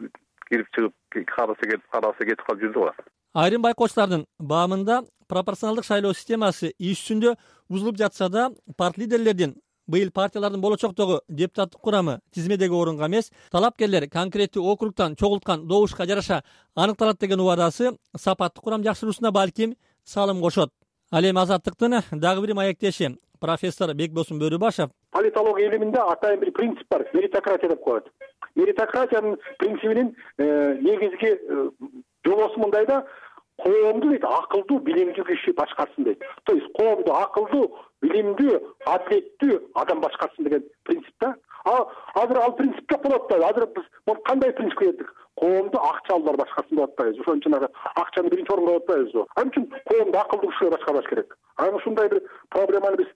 кирип чыгып, карасы кетип, карасы кетип калып жүрдү го. Айрым байкоочулардын баамында пропорционалдык шайлоо системасы иш жүзүндө бузулуп жатса да, парт лидерлердин быйыл партиялардын болочоктогу депутаттык курамы тизмедеги орунга эмес, талапкерлер конкреттүү округтан чогулткан добушка жараша аныкталат деген убадасы сапаттык курам жакшыруусуна балким салым кошот. Ал эми Азаттыктын дагы бир маектеши профессор Бекбосун Бөрүбашев политология илиминде атайын бир принцип бар, меритократия деп коет. Меритократиянын принцибинин негизги жобосу мындай да, коомду дейт акылдуу, билимдүү киши башкарсын дейт. То есть коомду акылдуу, билимдүү, адилеттүү адам башкарсын деген принцип да. А азыр ал принцип жок болот да. Азыр биз кандай принципке келдик? коомду акча алуулар башкасын деп атпайбыз. Ошон үчүн акчаны биринчи орунга коюп атпайбызбы? Ал үчүн коомду акылдуу кишилер башкарбаш керек. Анан ушундай бир проблеманы биз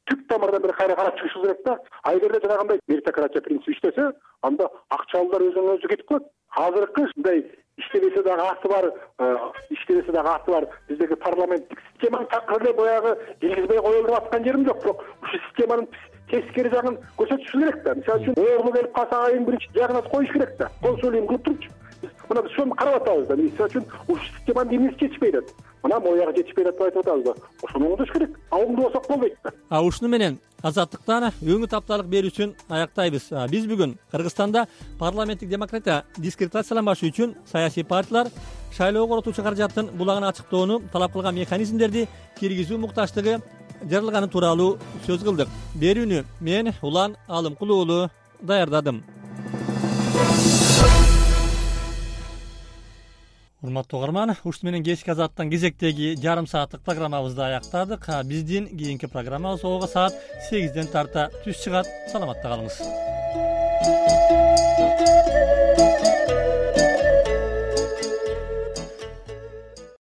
түп тамырдан бери кайра карап чыгышыбыз керек да. А эгерде жанагындай меритократия принципи иштесе, анда акча алуулар өзүнөн өзү кетип калат. Азыркы ушундай иштебесе дагы аты бар, иштебесе дагы аты бар биздеги парламенттик системаны такыр эле баягы киргизбей коелу деп аткан жерим жок. Бирок ушул системанын тескери жагын көрсөтүшү керек да. Мисалы үчүн оору келип калса эң биринчи жагына коюш керек да. Консулиум кылып турчу. Мына биз ошону карап атабыз да. Мисалы үчүн ушул системанын эмнеси жетишпей атат. Мына моягы жетишпей атат деп айтып атабыз да. Ошону оңдош керек. А оңдой болсок болбойт да. А ушуну менен азаттыктан өңү тапталык берүүсүн аяктайбыз. Биз бүгүн Кыргызстанда парламенттик демократия дискредитацияланбашы үчүн саясий партиялар шайлоого коротуучу каражаттын булагын ачыктоону талап кылган механизмдерди киргизүү мукташтыгы жаралганы тууралуу сөз кылдык. Берүүнү мен Улан Алымкул уулу даярдадым. Урматтуу угарман, ушуну менен кечки азаттын кезектеги жарым сааттык программабызды аяктадык. Биздин кийинки программабыз ого саат сегизден тарта түз чыгат. Саламатта калыңыз.